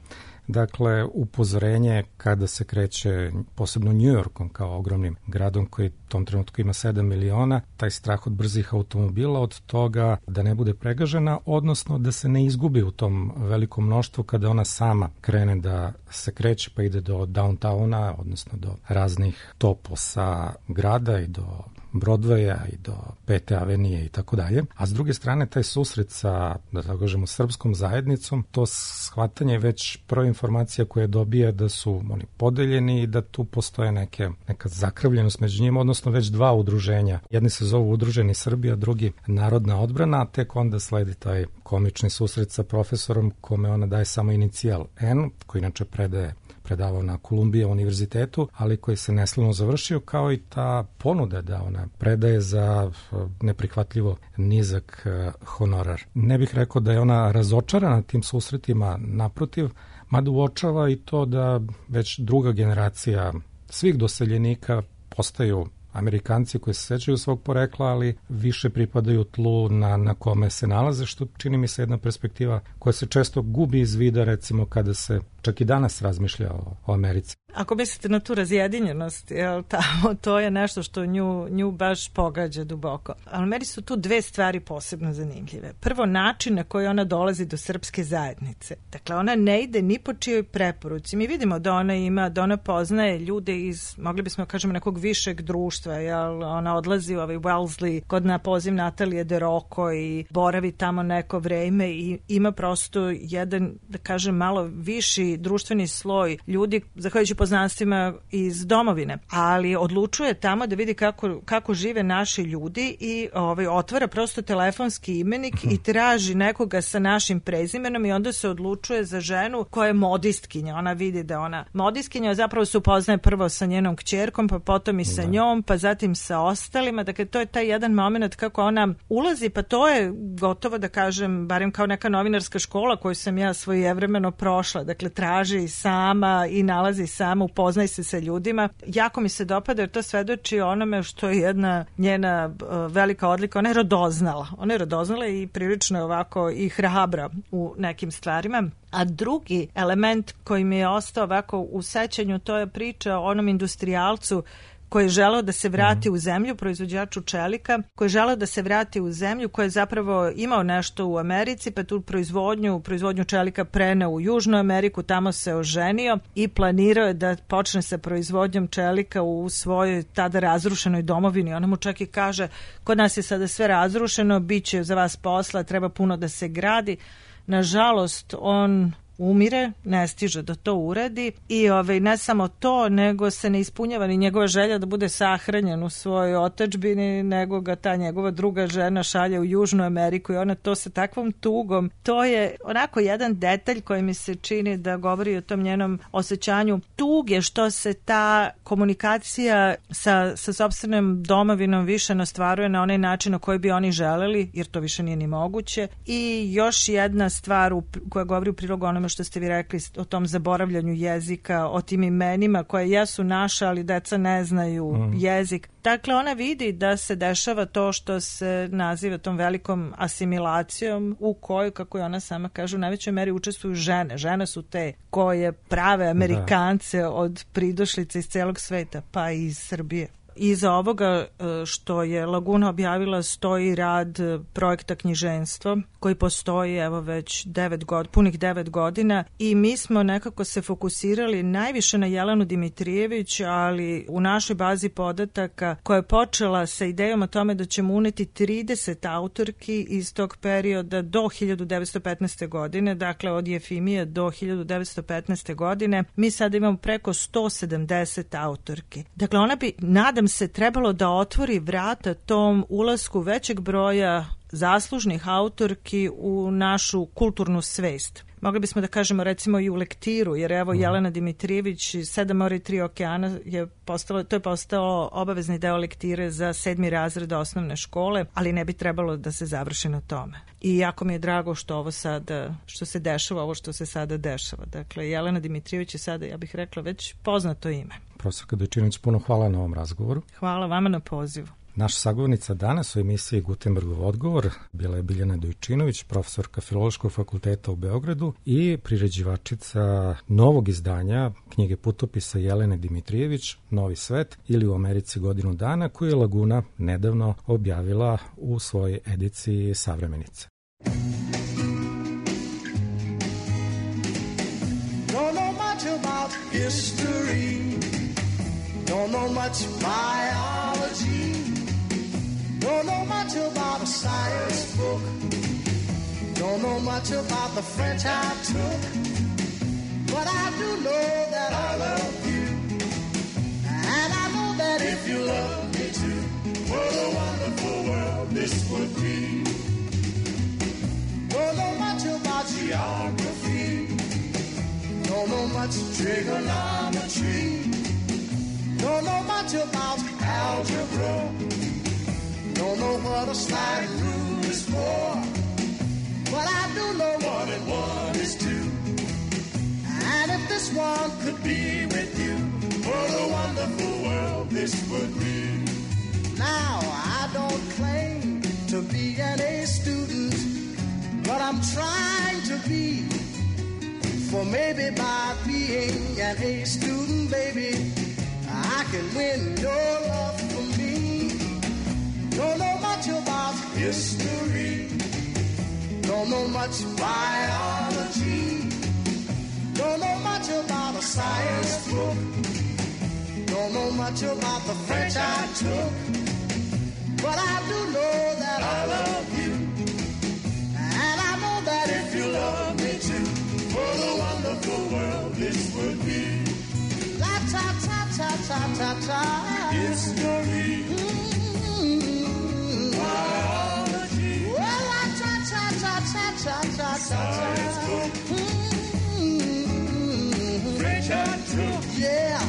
Dakle, upozorenje kada se kreće posebno New Yorkom kao ogromnim gradom koji u tom trenutku ima 7 miliona, taj strah od brzih automobila, od toga da ne bude pregažena, odnosno da se ne izgubi u tom velikom mnoštvu kada ona sama krene da se kreće pa ide do downtowna, odnosno do raznih toposa grada i do Broadwaya i do Pete avenije i tako dalje. A s druge strane, taj susret sa, da tako kažemo, srpskom zajednicom, to shvatanje već prva informacija koja dobije da su oni podeljeni i da tu postoje neka zakrvljenost među njima, odnosno već dva udruženja. Jedni se zovu Udruženi Srbija, drugi Narodna odbrana, a tek onda sledi taj komični susret sa profesorom kome ona daje samo inicijal N, koji inače predaje predavao na Columbia univerzitetu, ali koji se neslavno završio, kao i ta ponuda da ona predaje za neprihvatljivo nizak honorar. Ne bih rekao da je ona razočarana tim susretima, naprotiv, mada uočava i to da već druga generacija svih doseljenika postaju Amerikanci koji se sećaju svog porekla, ali više pripadaju tlu na kome se nalaze, što čini mi se jedna perspektiva koja se često gubi iz vida, recimo kada se čak i danas razmišlja o Americi. Ako mislite na tu razjedinjenost, jel, tamo, to je nešto što nju baš pogađa duboko. Ali meni su tu dve stvari posebno zanimljive. Prvo, način na koji ona dolazi do srpske zajednice. Dakle, ona ne ide ni po čijoj preporuci. Mi vidimo da ona poznaje ljude iz, mogli bismo kažemo, nekog višeg društva. Jel? Ona odlazi u Wellesley kod na poziv Natalije de Rocco i boravi tamo neko vreme i ima prosto jedan, da kažem, malo viši društveni sloj ljudi, zahvaljujući poznanstvima iz domovine, ali odlučuje tamo da vidi kako žive naši ljudi i otvara prosto telefonski imenik i traži nekoga sa našim prezimenom i onda se odlučuje za ženu koja je modistkinja. Ona vidi da ona modistkinja, zapravo se upoznaje prvo sa njenom kćerkom, pa potom i sa njom, pa zatim sa ostalima. Dakle, to je taj jedan moment kako ona ulazi, pa to je gotovo da kažem, barem kao neka novinarska škola koju sam ja svojevremeno prošla. Dakle, traži sama i nalazi sama, upoznaj se sa ljudima. Jako mi se dopada jer to svedoči onome što je jedna njena velika odlika. Ona je radoznala. Ona je radoznala i prilično je ovako i hrabra u nekim stvarima. A drugi element koji mi je ostao ovako u sećanju, to je priča o onom industrijalcu koji je želeo da se vrati u zemlju, proizvođaču čelika, koji je želeo da se vrati u zemlju, koji je zapravo imao nešto u Americi, pa tu proizvodnju čelika preneo u Južnu Ameriku, tamo se oženio i planirao je da počne sa proizvodnjom čelika u svojoj tada razrušenoj domovini. Ona mu čak i kaže, kod nas je sada sve razrušeno, bit će za vas posla, treba puno da se gradi. Nažalost, on umire, ne stiže da to uradi i ne samo to, nego se ne ispunjava ni njegova želja da bude sahranjen u svojoj otadžbini, nego ga ta njegova druga žena šalje u Južnu Ameriku i ona to sa takvom tugom. To je onako jedan detalj koji mi se čini da govori o tom njenom osjećanju tuge, što se ta komunikacija sa sopstvenom domovinom više ne ostvaruje na onaj način na koji bi oni želeli, jer to više nije ni moguće. I još jedna stvar koja govori u prilogu onome što ste vi rekli o tom zaboravljanju jezika, o tim imenima koje jesu naša, ali deca ne znaju jezik. Dakle, ona vidi da se dešava to što se naziva tom velikom asimilacijom u kojoj, kako je ona sama kaže, u najvećoj meri učestvuju žene. Žene su te koje prave Amerikance od pridošlica iz celog sveta, pa i iz Srbije. Iza ovoga što je Laguna objavila stoji rad projekta knjiženstvo koji postoji evo već punih 9 godina i mi smo nekako se fokusirali najviše na Jelenu Dimitrijević, ali u našoj bazi podataka koja je počela sa idejom o tome da ćemo uneti 30 autorki iz tog perioda do 1915. godine, dakle od Jefimije do 1915. godine, mi sad imamo preko 170 autorki. Dakle, ona bi, nadam se, trebalo da otvori vrata tom ulasku većeg broja zaslužnih autorki u našu kulturnu svest. Mogli bismo da kažemo recimo i u lektiru, jer evo Jelena Dimitrijević, 7 mora i 3 okeana je postao obavezni deo lektire za 7. razred osnovne škole, ali ne bi trebalo da se završi na tome. I jako mi je drago što se dešava, ovo što se sada dešava. Dakle, Jelena Dimitrijević je sada, ja bih rekla, već poznato ime. Profesorka Dojčinović, puno hvala na ovom razgovoru. Hvala vama na pozivu. Naša sagovornica danas u emisiji Gutenbergov odgovor bila je Biljana Dojčinović, profesorka Filološkog fakulteta u Beogradu i priređivačica novog izdanja knjige putopisa Jelene Dimitrijević, Novi svet ili u Americi godinu dana, koju je Laguna nedavno objavila u svojoj ediciji Savremenice. Don't know much about history, don't know much biology, don't know much about a science book, don't know much about the French I took, but I do know that I love you, and I know that if you love me too, what a wonderful world this would be. Don't know much about geography, don't Don't know much trigonometry. Don't know much about algebra. Don't know what a slide rule is for. But I do know 1 and 1 is 2. And if this one could be with you, what a wonderful world this would be. Now, I don't claim to be an A student, but I'm trying to be. For maybe by being an A student, baby, I can win your love for me. Don't know much about history. Don't know much biology. Don't know much about a science book. Don't know much about the French I took. But I do know that I love you. And I know that if you love me too, what a wonderful world this would be. La ta ta ta ta ta ta. History. Biology. Well, la ta ta ta ta ta ta ta. Science book. French I took. Yeah.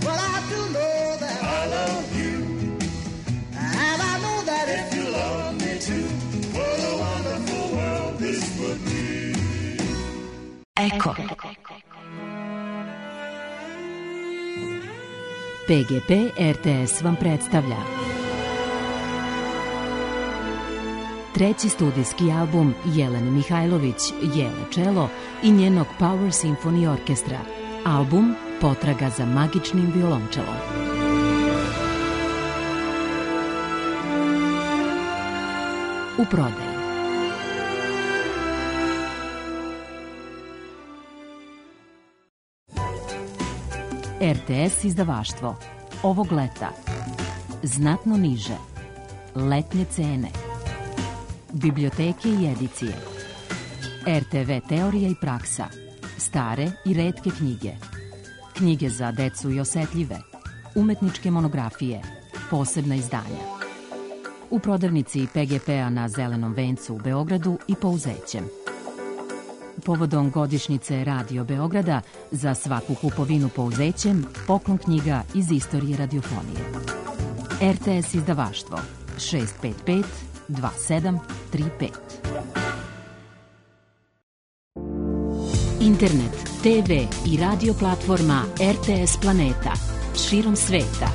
But I do know that I love you. And I know that if you love me too, what a wonderful world this would be. Eko. PGP RTS vam predstavlja treći studijski album Jelene Mihajlović, Jele Čelo i njenog Power Symphony Orkestra. Album Potraga za magičnim violončelom. U prodaji. RTS izdavaštvo. Ovog leta. Znatno niže. Letnje cene. Biblioteke i edicije. RTV teorija i praksa. Stare i retke knjige. Knjige za decu i osetljive. Umetničke monografije. Posebna izdanja. U prodavnici PGP-a na Zelenom vencu u Beogradu i Pouzećem. Povodom godišnjice Radio Beograda za svaku kupovinu Pouzećem poklon knjiga iz istorije radiofonije. RTS izdavaštvo 655 2735. Internet, TV i radio platforma RTS Planeta širom sveta.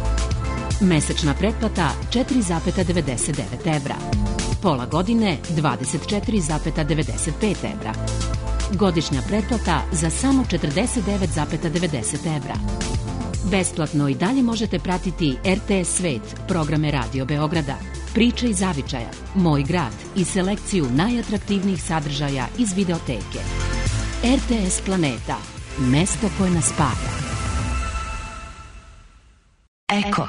Mesečna pretplata 4,99 evra. Pola godine 24,95 evra. Godišnja pretplata za samo 49,90 evra. Besplatno i dalje možete pratiti RTS Svet, programe Radio Beograda, Priče iz zavičaja, Moj grad i selekciju najatraktivnijih sadržaja iz videoteke. RTS Planeta, mesto koje nas spaja. Eko.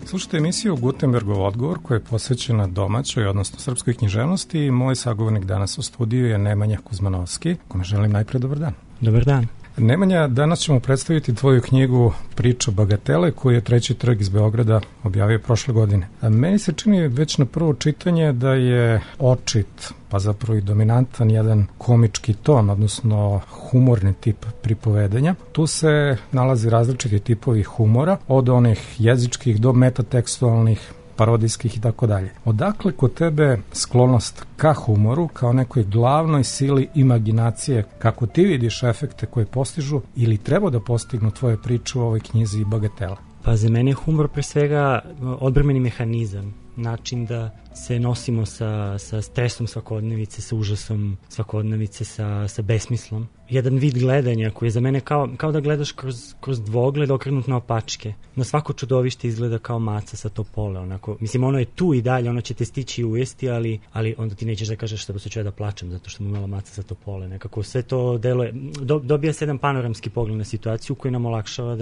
Slušajte emisiju Gutenbergov odgovor koja je posvećena domaćoj, odnosno srpskoj književnosti i moj sagovornik danas u studiju je Nemanja Kuzmanovski, kome želim najpre dobar dan. Dobar dan. Nemanja, danas ćemo predstaviti tvoju knjigu Priča bagatele koju je Treći trg iz Beograda objavio prošle godine. Meni se čini već na prvo čitanje da je očit, pa zapravo i dominantan jedan komički ton, odnosno humorni tip pripovedanja. Tu se nalazi različiti tipovi humora, od onih jezičkih do metatekstualnih, parodijskih i tako dalje. Odakle kod tebe sklonost ka humoru kao nekoj glavnoj sili imaginacije, kako ti vidiš efekte koje postižu ili treba da postignu tvoje priče u ovoj knjizi Bagatela? Pa za mene je humor pre svega odbrambeni mehanizam, način da se nosimo sa stresom svakodnevice, sa užasom svakodnevice, sa besmislom. Jedan vid gledanja koji je za mene kao da gledaš kroz dvogled okrenut na opačke. Na svako čudovište izgleda kao maca sa topole. Onako, mislim, ono je tu i dalje, ono će te stići i ujesti, ali onda ti nećeš da kažeš da ću ja da plačem zato što mu imala maca sa topole. Nekako sve to deluje, dobija se jedan panoramski pogled na situaciju koji nam olakšava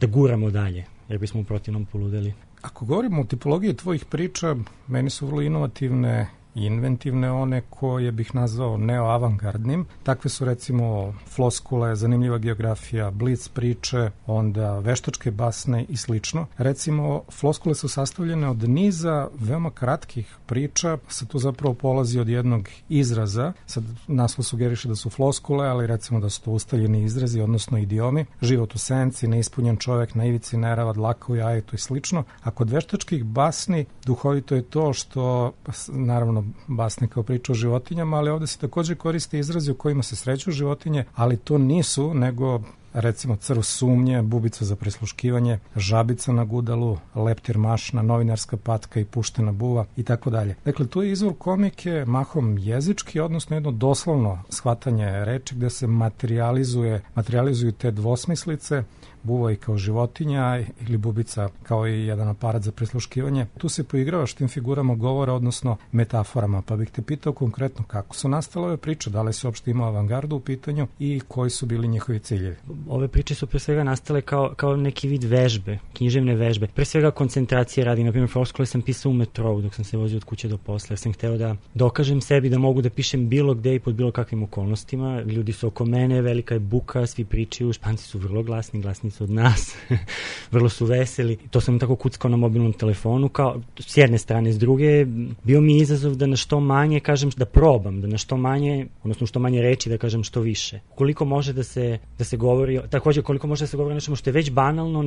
da guramo dalje, jer bismo u protivnom poludeli. Ako govorimo o tipologiji tvojih priča, meni su vrlo inovativne inventivne, one koje bih nazvao neoavangardnim. Takve su recimo floskule, zanimljiva geografija, blic priče, onda veštačke basne i slično. Recimo, floskule su sastavljene od niza veoma kratkih priča, se tu zapravo polazi od jednog izraza. Sad naslov sugeriše da su floskule, ali recimo da su to ustaljeni izrazi, odnosno idiomi. Život u senci, neispunjen čovek, na ivici nerava, dlaka u jajetu i slično. A kod veštačkih basni duhovito je to što, naravno, basne kao priča o životinjama, ali ovde se takođe koriste izrazi u kojima se sreću životinje, ali to nisu, nego recimo crv sumnje, bubica za prisluškivanje, žabica na gudalu, leptir mašna, novinarska patka i puštena buva i tako dalje. Dakle, tu je izvor komike mahom jezički, odnosno jedno doslovno shvatanje reči gde se materializuju te dvosmislice, buva i kao životinja ili bubica kao i jedan aparat za prisluškivanje. Tu se poigravaš tim figurama govora, odnosno metaforama, pa bih te pitao konkretno kako su nastale ove priče, da li se uopšte imao avangardu u pitanju i koji su bili njihovi ciljevi? Ove priče su pre svega nastale kao neki vid vežbe, književne vežbe. Pre svega koncentracije radi, na primjer, floskule sam pisao u metrou dok sam se vozio od kuće do posla, jer sam hteo da dokažem sebi da mogu da pišem bilo gde i pod bilo kakvim okolnostima. Ljudi su oko mene, velika je buka, svi pričaju, Španci su vrlo glasni od nas, vrlo su veseli. To sam tako kuckao na mobilnom telefonu, kao s jedne strane, s druge, bio mi izazov da na što manje kažem, da probam, da na što manje, odnosno što manje reči da kažem što više. Koliko može da se govori, takođe koliko može da se govori nešto što je već banalno,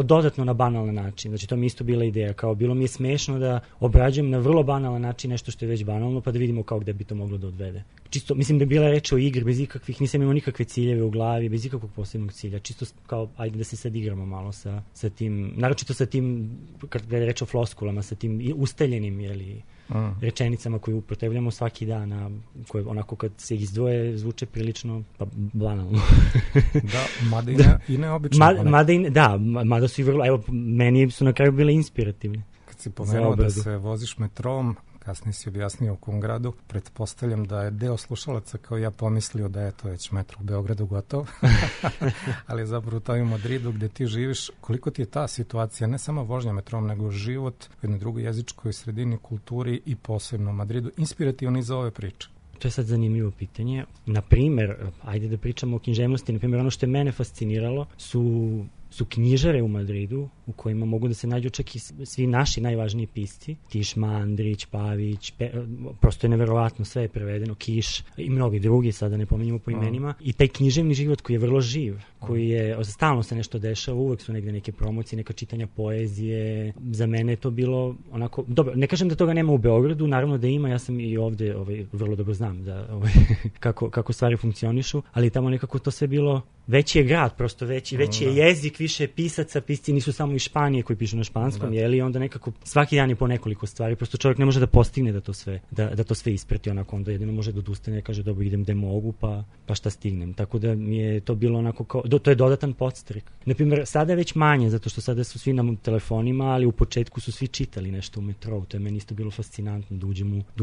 dodatno na banalan način. Znači to mi isto bila ideja, kao bilo mi je smešno da obrađujem na vrlo banalan način nešto što je već banalno, pa da vidimo kao gde bi to moglo da odvede. Čisto, mislim da je bila reč o igri, bez ikakvih, nisam imao nikakve ciljeve u glavi, bez ikakvog posebnog cilja, čisto kao, ajde da se sad igramo malo sa tim, naročito sa tim, kada je reč o floskulama, sa tim ustaljenim, rečenicama koje upotrebljamo svaki dan, a koje onako kad se izdvoje zvuče prilično banalno. Da, mada i neobično. Mada su i vrlo, evo, meni su na kraju bile inspirativne. Kad si pomenuo da se voziš metrom, kasnije si objasnio u kom gradu, pretpostavljam da je deo slušalaca kao ja pomislio da je to već metro u Beogradu gotov, ali zapravo to je u Madridu gde ti živiš. Koliko ti je ta situacija, ne samo vožnja metrom, nego život u jednoj drugoj jezičkoj sredini, kulturi i posebno u Madridu, inspirativni za ove priče? To je sad zanimljivo pitanje. Naprimer, ajde da pričamo o književnosti, naprimer ono što je mene fasciniralo su knjižare u Madridu u kojima mogu da se nađu čak i svi naši najvažniji pisci. Tiš, Mandrić, Pavić, prosto je neverovatno, sve je prevedeno, Kiš i mnogi drugi, sada ne pominjamo po imenima. I taj književni život koji je vrlo živ, koji je, stalno se nešto dešava, uvek su negde neke promocije, neka čitanja poezije. Za mene je to bilo onako, dobro, ne kažem da toga nema u Beogradu, naravno da ima, ja sam i ovde vrlo dobro znam da, kako stvari funkcionišu, ali tamo nekako to sve bilo, veći je grad, prosto veći je jezik, više pisaca, pisci nisu samo iz Španije koji pišu na španskom, i onda nekako svaki dan je po nekoliko stvari, prosto čovjek ne može da postigne da to sve isprati, onako onda jedino može da odustane, kaže dobro idem gde mogu, pa šta stignem. Tako da mi je to bilo onako kao, to je dodatan podstrek. Naprimjer, sada je već manje, zato što sada su svi na telefonima, ali u početku su svi čitali nešto u metrou, to je meni isto bilo fascinantno, da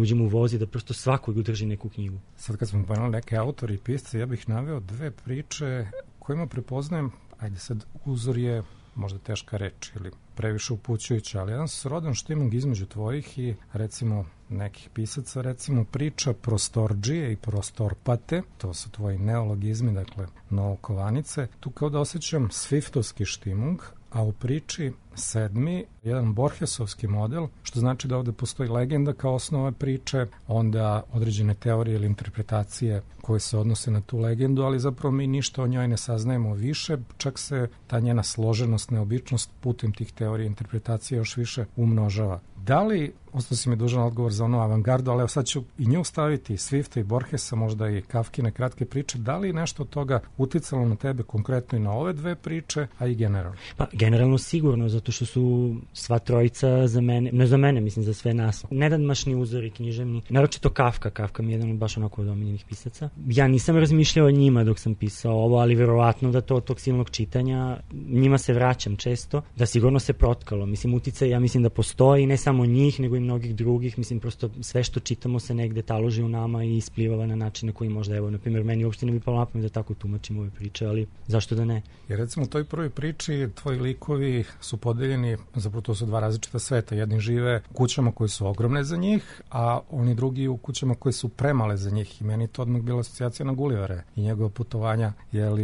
uđem u voz i da prosto svakog drži neku knjigu. Sad kad smo pomenuli neke autori i pisce, ja bih naveo dve priče kojima prepoznajem, ajde sad, uzor je možda teška reč ili previše upućujuća, ali jedan srodan štiming između tvojih i recimo nekih pisaca, recimo priča prostorđije i prostorpate, to su tvoji neologizmi, dakle novokovanice. Tu kao da osjećam swiftovski štimung, a u priči sedmi, jedan Borgesovski model, što znači da ovde postoji legenda kao osnova priče, onda određene teorije ili interpretacije koje se odnose na tu legendu, ali zapravo mi ništa o njoj ne saznajemo više, čak se ta njena složenost, neobičnost putem tih teorija i interpretacija još više umnožava. Da li, ostao si mi dužan odgovor za onu avangardu, ali evo sad ću i nju staviti, Swifta i Borgesa, možda i Kafkine kratke priče, da li nešto od toga uticalo na tebe konkretno i na ove dve priče, a i generalno? Pa generalno sigurno, zato što su sva trojica za mene, ne za mene, mislim za sve nas, nedanmašni uzori književni, naročito Kafka mi je jedan od baš onako od omiljenih pisaca. Ja nisam razmišljao o njima dok sam pisao ovo, ali verovatno da to od tog silnog čitanja, njima se vraćam često, da sigurno se protkalo, mislim uticaj, ja mislim da postoji, ne samo njih, nego i mnogih drugih, mislim prosto sve što čitamo se negde taloži u nama i isplivava na način na koji možda, evo, na primjer, meni uopšte ne bi palo na pamet da tako tumačim ove priče, ali zašto da ne? Jer recimo u toj prvoj priči tvoji likovi su podeljeni, zapravo to su dva različita sveta. Jedni žive u kućama koje su ogromne za njih, a oni drugi u kućama koje su premale za njih. I meni to odmah bila asocijacija na Gullivere i njegova putovanja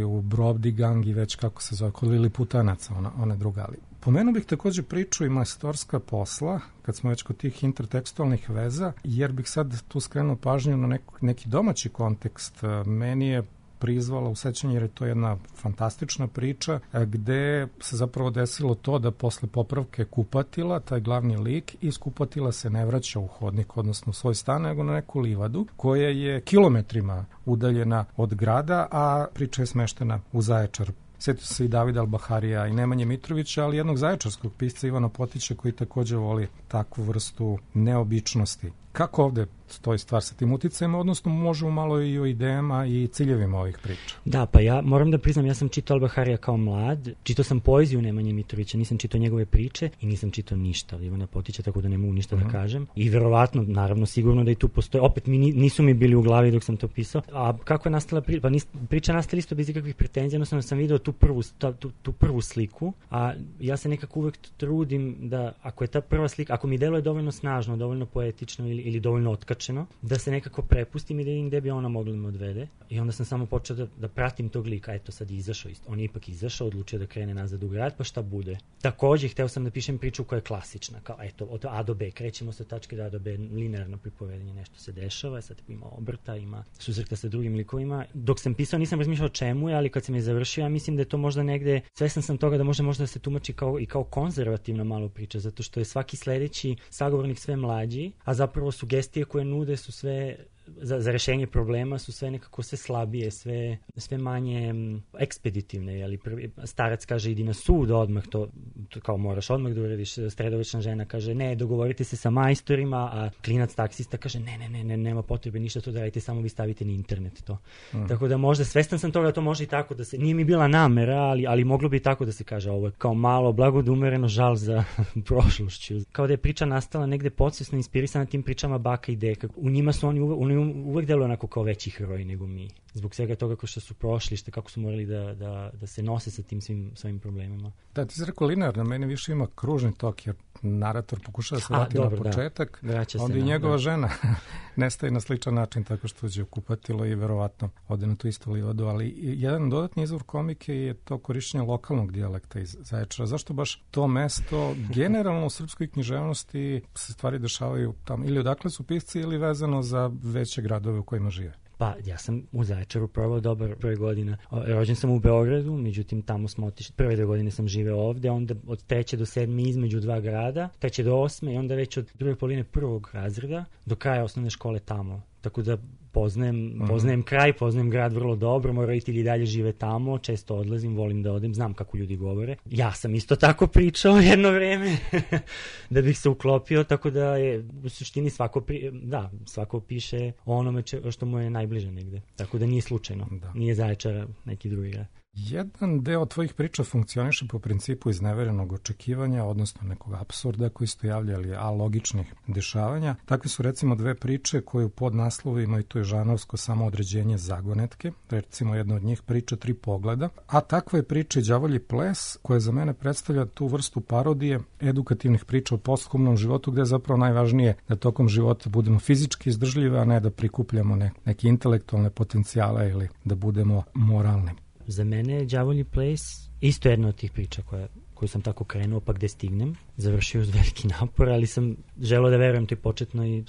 u Brobdigang i već kako se zove, kod Liliputanaca, one druga. Ali pomenuo bih takođe priču i majstorska posla, kad smo već kod tih intertekstualnih veza, jer bih sad tu skrenuo pažnju na neki domaći kontekst. Meni je prizvala u sećanje, jer je to jedna fantastična priča, gde se zapravo desilo to da posle popravke kupatila, taj glavni lik iz kupatila se ne vraća u hodnik, odnosno u svoj stan, nego na neku livadu, koja je kilometrima udaljena od grada, a priča je smeštena u Zaječar. Sjetio se i Davida Albaharija i Nemanje Mitrovića, ali jednog zaječarskog pisca Ivana Potića koji takođe voli takvu vrstu neobičnosti. Kako ovde stoji stvar sa tim uticajima, odnosno možemo malo i o idejama i ciljevima ovih priča? Da, pa ja moram da priznam, ja sam čitao Albaharija kao mlad, čitao sam poeziju Nemanje Mitrovića, nisam čitao njegove priče i nisam čitao ništa od Ivana Potića, tako da ne mogu ništa da kažem. I verovatno, naravno, sigurno da i tu postoje, opet nisu mi bili u glavi dok sam to pisao. A kako je nastala priča? Pa priča nastala isto bez ikakvih pretenzija, odnosno sam video tu prvu sliku, a ja se nekako uvek trudim da, ako je ta prva slika, ako mi deluje dovoljno snažno, dovoljno poetično ili dovoljno otkačeno, da se nekako prepustim i da vidim gde bi ona mogla da me odvede. I onda sam samo počeo da pratim tog lika. Eto, sad izašao, on je ipak izašao, odlučio da krene nazad u grad, pa šta bude. Takođe, hteo sam da pišem priču koja je klasična, kao eto, od A do B, krećemo sa tačke do A do B, linearno pripovedanje, nešto se dešava, sad ima obrta, ima susreta sa drugim likovima. Dok sam pisao, nisam razmišljao čemu je, ali kad sam je završio, ja mislim da je to možda negde, svestan sam toga da možda da se tumači kao konzervativna malo priča, zato što je svaki sledeći sagovornik sve mlađi, a zapravo sugestije koje nude su sve za rešenje problema su sve nekako sve slabije, sve manje ekspeditivne, jeli starac kaže idi na sud odmah, to kao moraš odmah da uradiš, sredovečna žena kaže ne, dogovorite se sa majstorima, a klinac taksista kaže ne, nema potrebe ništa to da radite, samo vi stavite na internet to. Tako da možda, svestan sam toga da to može i tako da se, nije mi bila namera, ali moglo bi tako da se kaže, ovo je kao malo blagodumereno žal za prošlošću. Kao da je priča nastala negde podsvesno inspirisana tim pričama baka i deka. U njima su oni uvek deluju onako kao veći heroji nego mi. Zbog svega toga ko što su prošli, kako su morali da se nose sa tim svim svojim problemima. Da, ti si rekao linearno, meni više ima kružni tok, jer narator pokušava se vrati na početak, onda i njegova žena nestaje na sličan način tako što uđe u kupatilo i verovatno ode na tu istu livadu, ali jedan dodatni izvor komike je to korišćenje lokalnog dijalekta iz Zaječara. Zašto baš to mesto? Generalno u srpskoj književnosti se stvari dešavaju tamo, ili odakle su pisci ili vezano za veće gradove u kojima žive? Pa, ja sam u Zaječaru provao dobar broj godina. Rođen sam u Beogradu, međutim tamo smo otišli, prve 2 godine sam živeo ovde, onda od 3. do 7. između 2 grada, 3. do 8. i onda već od druge polovine 1. razreda do kraja osnovne škole tamo. Tako da poznajem kraj, poznajem grad vrlo dobro, moji roditelji dalje žive tamo, često odlazim, volim da odem, znam kako ljudi govore. Ja sam isto tako pričao jedno vreme da bih se uklopio, tako da je u suštini svako piše o onome što mu je najbliže negde. Tako da nije slučajno, nije Zaječar neki drugi grad. Jedan deo tvojih priča funkcioniše po principu izneverenog očekivanja, odnosno nekog apsurda koji su javljali logičnih dešavanja. Takve su recimo 2 priče koje u podnaslovima, i to je žanovsko samoodređenje zagonetke, recimo jedna od njih priča 3 pogleda, a takva je priča i Đavolji ples koja za mene predstavlja tu vrstu parodije edukativnih priča o posthumnom životu, gde je zapravo najvažnije da tokom života budemo fizički izdržljivi, a ne da prikupljamo neke intelektualne potencijale ili da budemo moralni. Za mene je Đavolji ples isto jedna od tih priča koju sam tako krenuo, pa gde stignem, završio uz veliki napor, ali sam želeo da verujem toj početnoj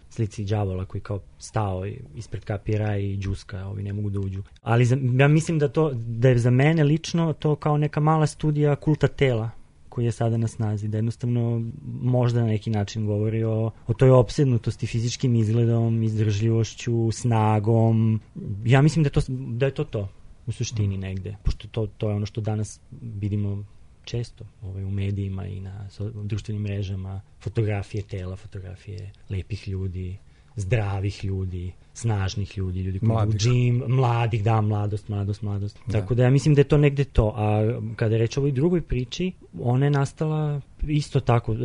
slici đavola koji kao stao ispred kapira i džuska, ovi ne mogu da uđu. Ali ja mislim da je za mene lično to kao neka mala studija kulta tela koji je sada na snazi, da jednostavno možda na neki način govori o toj opsednutosti fizičkim izgledom, izdržljivošću, snagom. Ja mislim da je to u suštini negde, pošto to je ono što danas vidimo često u medijima i na društvenim mrežama, fotografije tela, fotografije lepih ljudi, zdravih ljudi, snažnih ljudi, ljudi koji idu u džim, mladih, da, mladost. Da. Tako da ja mislim da je to negde to. A kada je reč o ovoj drugoj priči, ona je nastala isto tako.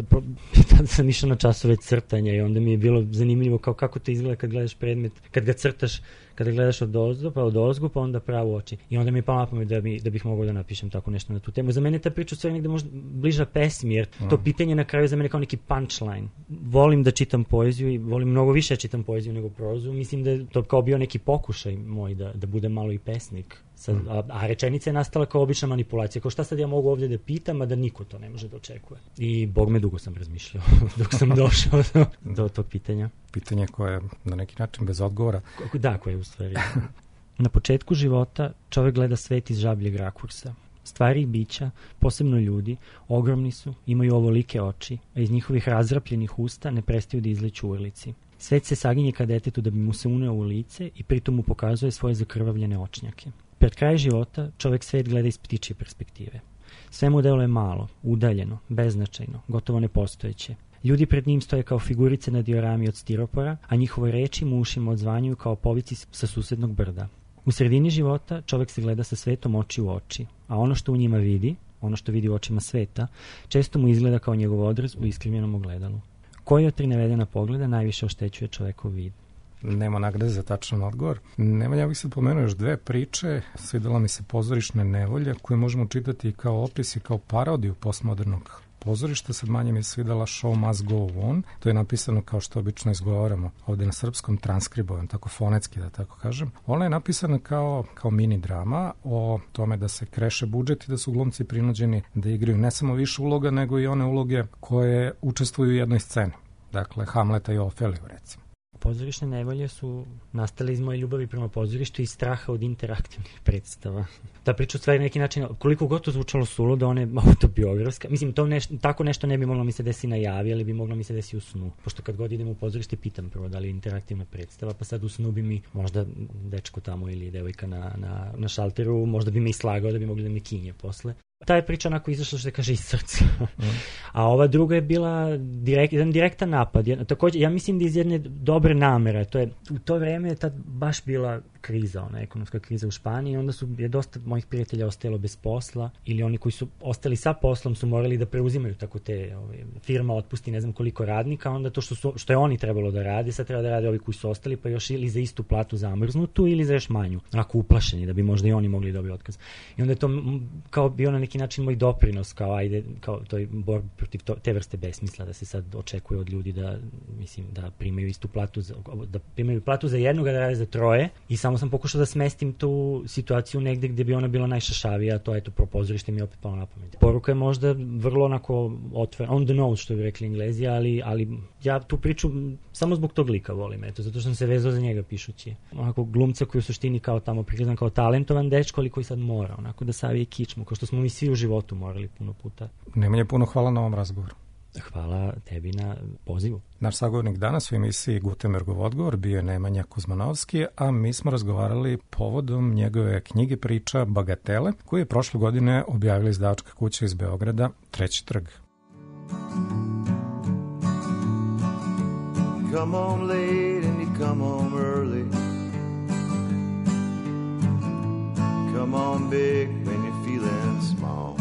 Tada sam išao na časove crtanja i onda mi je bilo zanimljivo kao kako to izgleda kad gledaš predmet, kad ga crtaš, kada gledaš od ozgo, pa onda pravo oči. I onda mi je palo na pamet da bih mogao da napišem tako nešto na tu temu. Za mene ta priča u stvari negde možda bliža pesmi, jer to pitanje na kraju za mene kao neki punchline. Volim da čitam poeziju i volim mnogo više čitam poeziju nego prozu. Mislim da je to kao bio neki pokušaj moj da budem malo i pesnik. A rečenica je nastala kao obična manipulacija. Kao šta sad ja mogu ovdje da pitam, a da niko to ne može da očekuje. I Bog me dugo sam razmišljao dok sam došao do tog pitanja. Pitanje koje je na neki način bez odgovora. Da, koje je u stvari. Na početku života čovjek gleda svet iz žabljeg rakursa. Stvari i bića, posebno ljudi, ogromni su, imaju ovolike oči, a iz njihovih razrapljenih usta ne prestaju da izliču urlici. Svet se saginje ka detetu da bi mu se uneo u lice i pritom mu pokazuje svoje zakrvavljene očnjake. Pred kraj života čovjek svet gleda iz ptičje perspektive. Sve mu deluje malo, udaljeno, beznačajno, gotovo nepostojeće. Ljudi pred njim stoje kao figurice na diorami od stiropora, a njihove reči mu ušima odzvanjuju kao povici sa susednog brda. U sredini života čovjek se gleda sa svetom oči u oči, a ono što u njima vidi, ono što vidi u očima sveta, često mu izgleda kao njegov odraz u iskrivljenom ogledalu. Koji od tri navedena pogleda najviše oštećuje čovjekov vid? Nema nagrade za tačan odgovor. Ja bih se pomenuo još dve priče. Svidela mi se Pozorišne nevolje, koje možemo čitati kao opis i kao parodiju postmodernog pozorišta. Sad manje mi je svidela Show Must Go On. To je napisano kao što obično izgovaramo ovdje na srpskom, transkribovan, tako fonetski da tako kažem. Ona je napisana kao mini drama o tome da se kreše budžet i da su glumci prinuđeni da igraju ne samo više uloga, nego i one uloge koje učestvuju u jednoj sceni. Dakle, Hamleta i Ofeliju, recimo. Pozorišne nevolje su nastale iz moje ljubavi prema pozorištu i straha od interaktivnih predstava. Ta priča u stvari na neki način, koliko god to zvučalo suludo, ona je autobiografska. Mislim, tako nešto ne bi moglo mi se desi na javi, ali bi moglo mi se desi u snu. Pošto kad god idem u pozorište, pitam prvo da li je interaktivna predstava, pa sad u snu bi mi možda dečko tamo ili devojka na šalteru, možda bi me i slagao da bi mogli da me kinje posle. Ta je priča onako izašla, što se kaže, iz srca. A ova druga je bila jedan direktan napad. Također, ja mislim da iz jedne dobre namere. U to vreme je tad baš bila kriza, ekonomska kriza u Španiji, i onda je dosta mojih prijatelja ostajalo bez posla, ili oni koji su ostali sa poslom su morali da preuzimaju tako te firma otpusti ne znam koliko radnika, onda to što je oni trebalo da rade, sad treba da rade ovi koji su ostali, pa još ili za istu platu zamrznutu ili za još manju, onako uplašeni da bi možda i oni mogli dobiti otkaz. I onda je to kao bio na neki način moj doprinos, kao toj borbi protiv te vrste besmisla, da se sad očekuje od ljudi da primaju istu platu, da primaju platu za jednog, da rade za troje, i samo sam pokušao da smestim tu situaciju negde gde bi ona bila najšašavija, a to je to pozorište mi je opet palo na pamet. Poruka je možda vrlo onako on the nose, što bi rekli Englezi, ali ja tu priču samo zbog tog lika volim, zato što sam se vezao za njega pišući. Onako glumca koji u suštini kao tamo prikazan kao talentovan dečko, ali koji sad mora onako da savije kičmu, kao što smo mi svi u životu morali puno puta. Nemanje, puno hvala na ovom razgovoru. Hvala tebi na pozivu. Naš sagovornik danas u emisiji Gutenbergov odgovor bio je Nemanja Kuzmanovski, a mi smo razgovarali povodom njegove knjige priča Bagatele, koju je prošle godine objavila izdavačka kuća iz Beograda, Treći trg. Come on late and you come home early. Come on big when you're feeling small.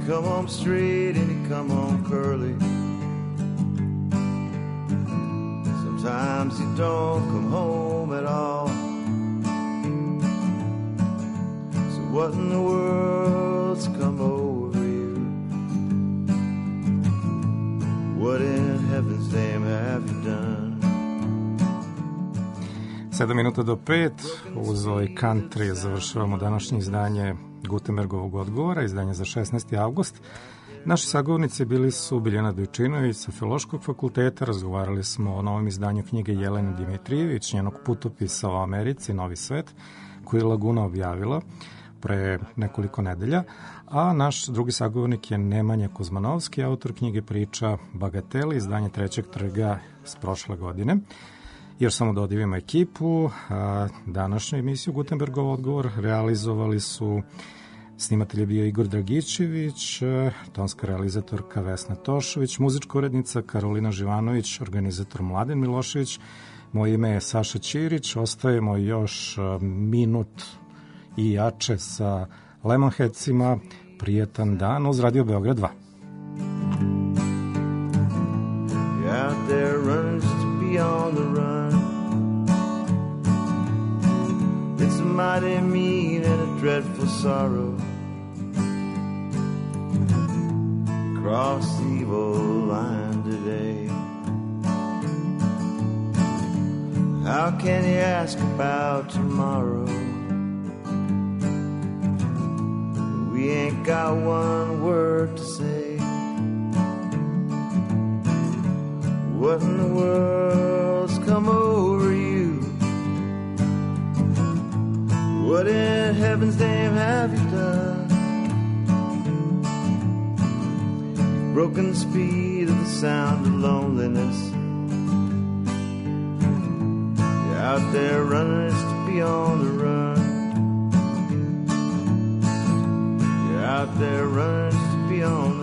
Come home straight and you come home curly. Sometimes you don't come home at all. So what in the world's come over you? What in heaven's name have you done? 7 minuta do 5, uz ovaj country završavamo današnje izdanje Gutenbergovog odgovora, izdanje za 16. avgust. Naši sagovornici bili su Biljana Dojčinović sa Filološkog fakulteta, razgovarali smo o novom izdanju knjige Jelene Dimitrijević, njenog putopisa o Americi, Novi svet, koji je Laguna objavila pre nekoliko nedelja, a naš drugi sagovornik je Nemanja Kuzmanovski, autor knjige priča Bagatele, izdanje Trećeg trga s prošle godine. Još samo da odivimo ekipu. Današnju emisiju Gutenbergov odgovor realizovali su Snimatelj je bio Igor Dragićević, tonska realizatorka Vesna Tošović, muzička urednica Karolina Živanović, organizator Mladen Milošević. Moje ime je Saša Ćirić. Ostajemo još minut i jače sa Lemonheadsima. Prijetan dan uz Radio Beograd 2. Out there running just to be on the run. It's a mighty mean and a dreadful sorrow. Cross the evil line today. How can you ask about tomorrow? We ain't got one word to say. What in the world's come over you? What in heaven's name have you done? You've broken the speed of the sound of loneliness. You're out there running just to be on the run. You're out there running just to be on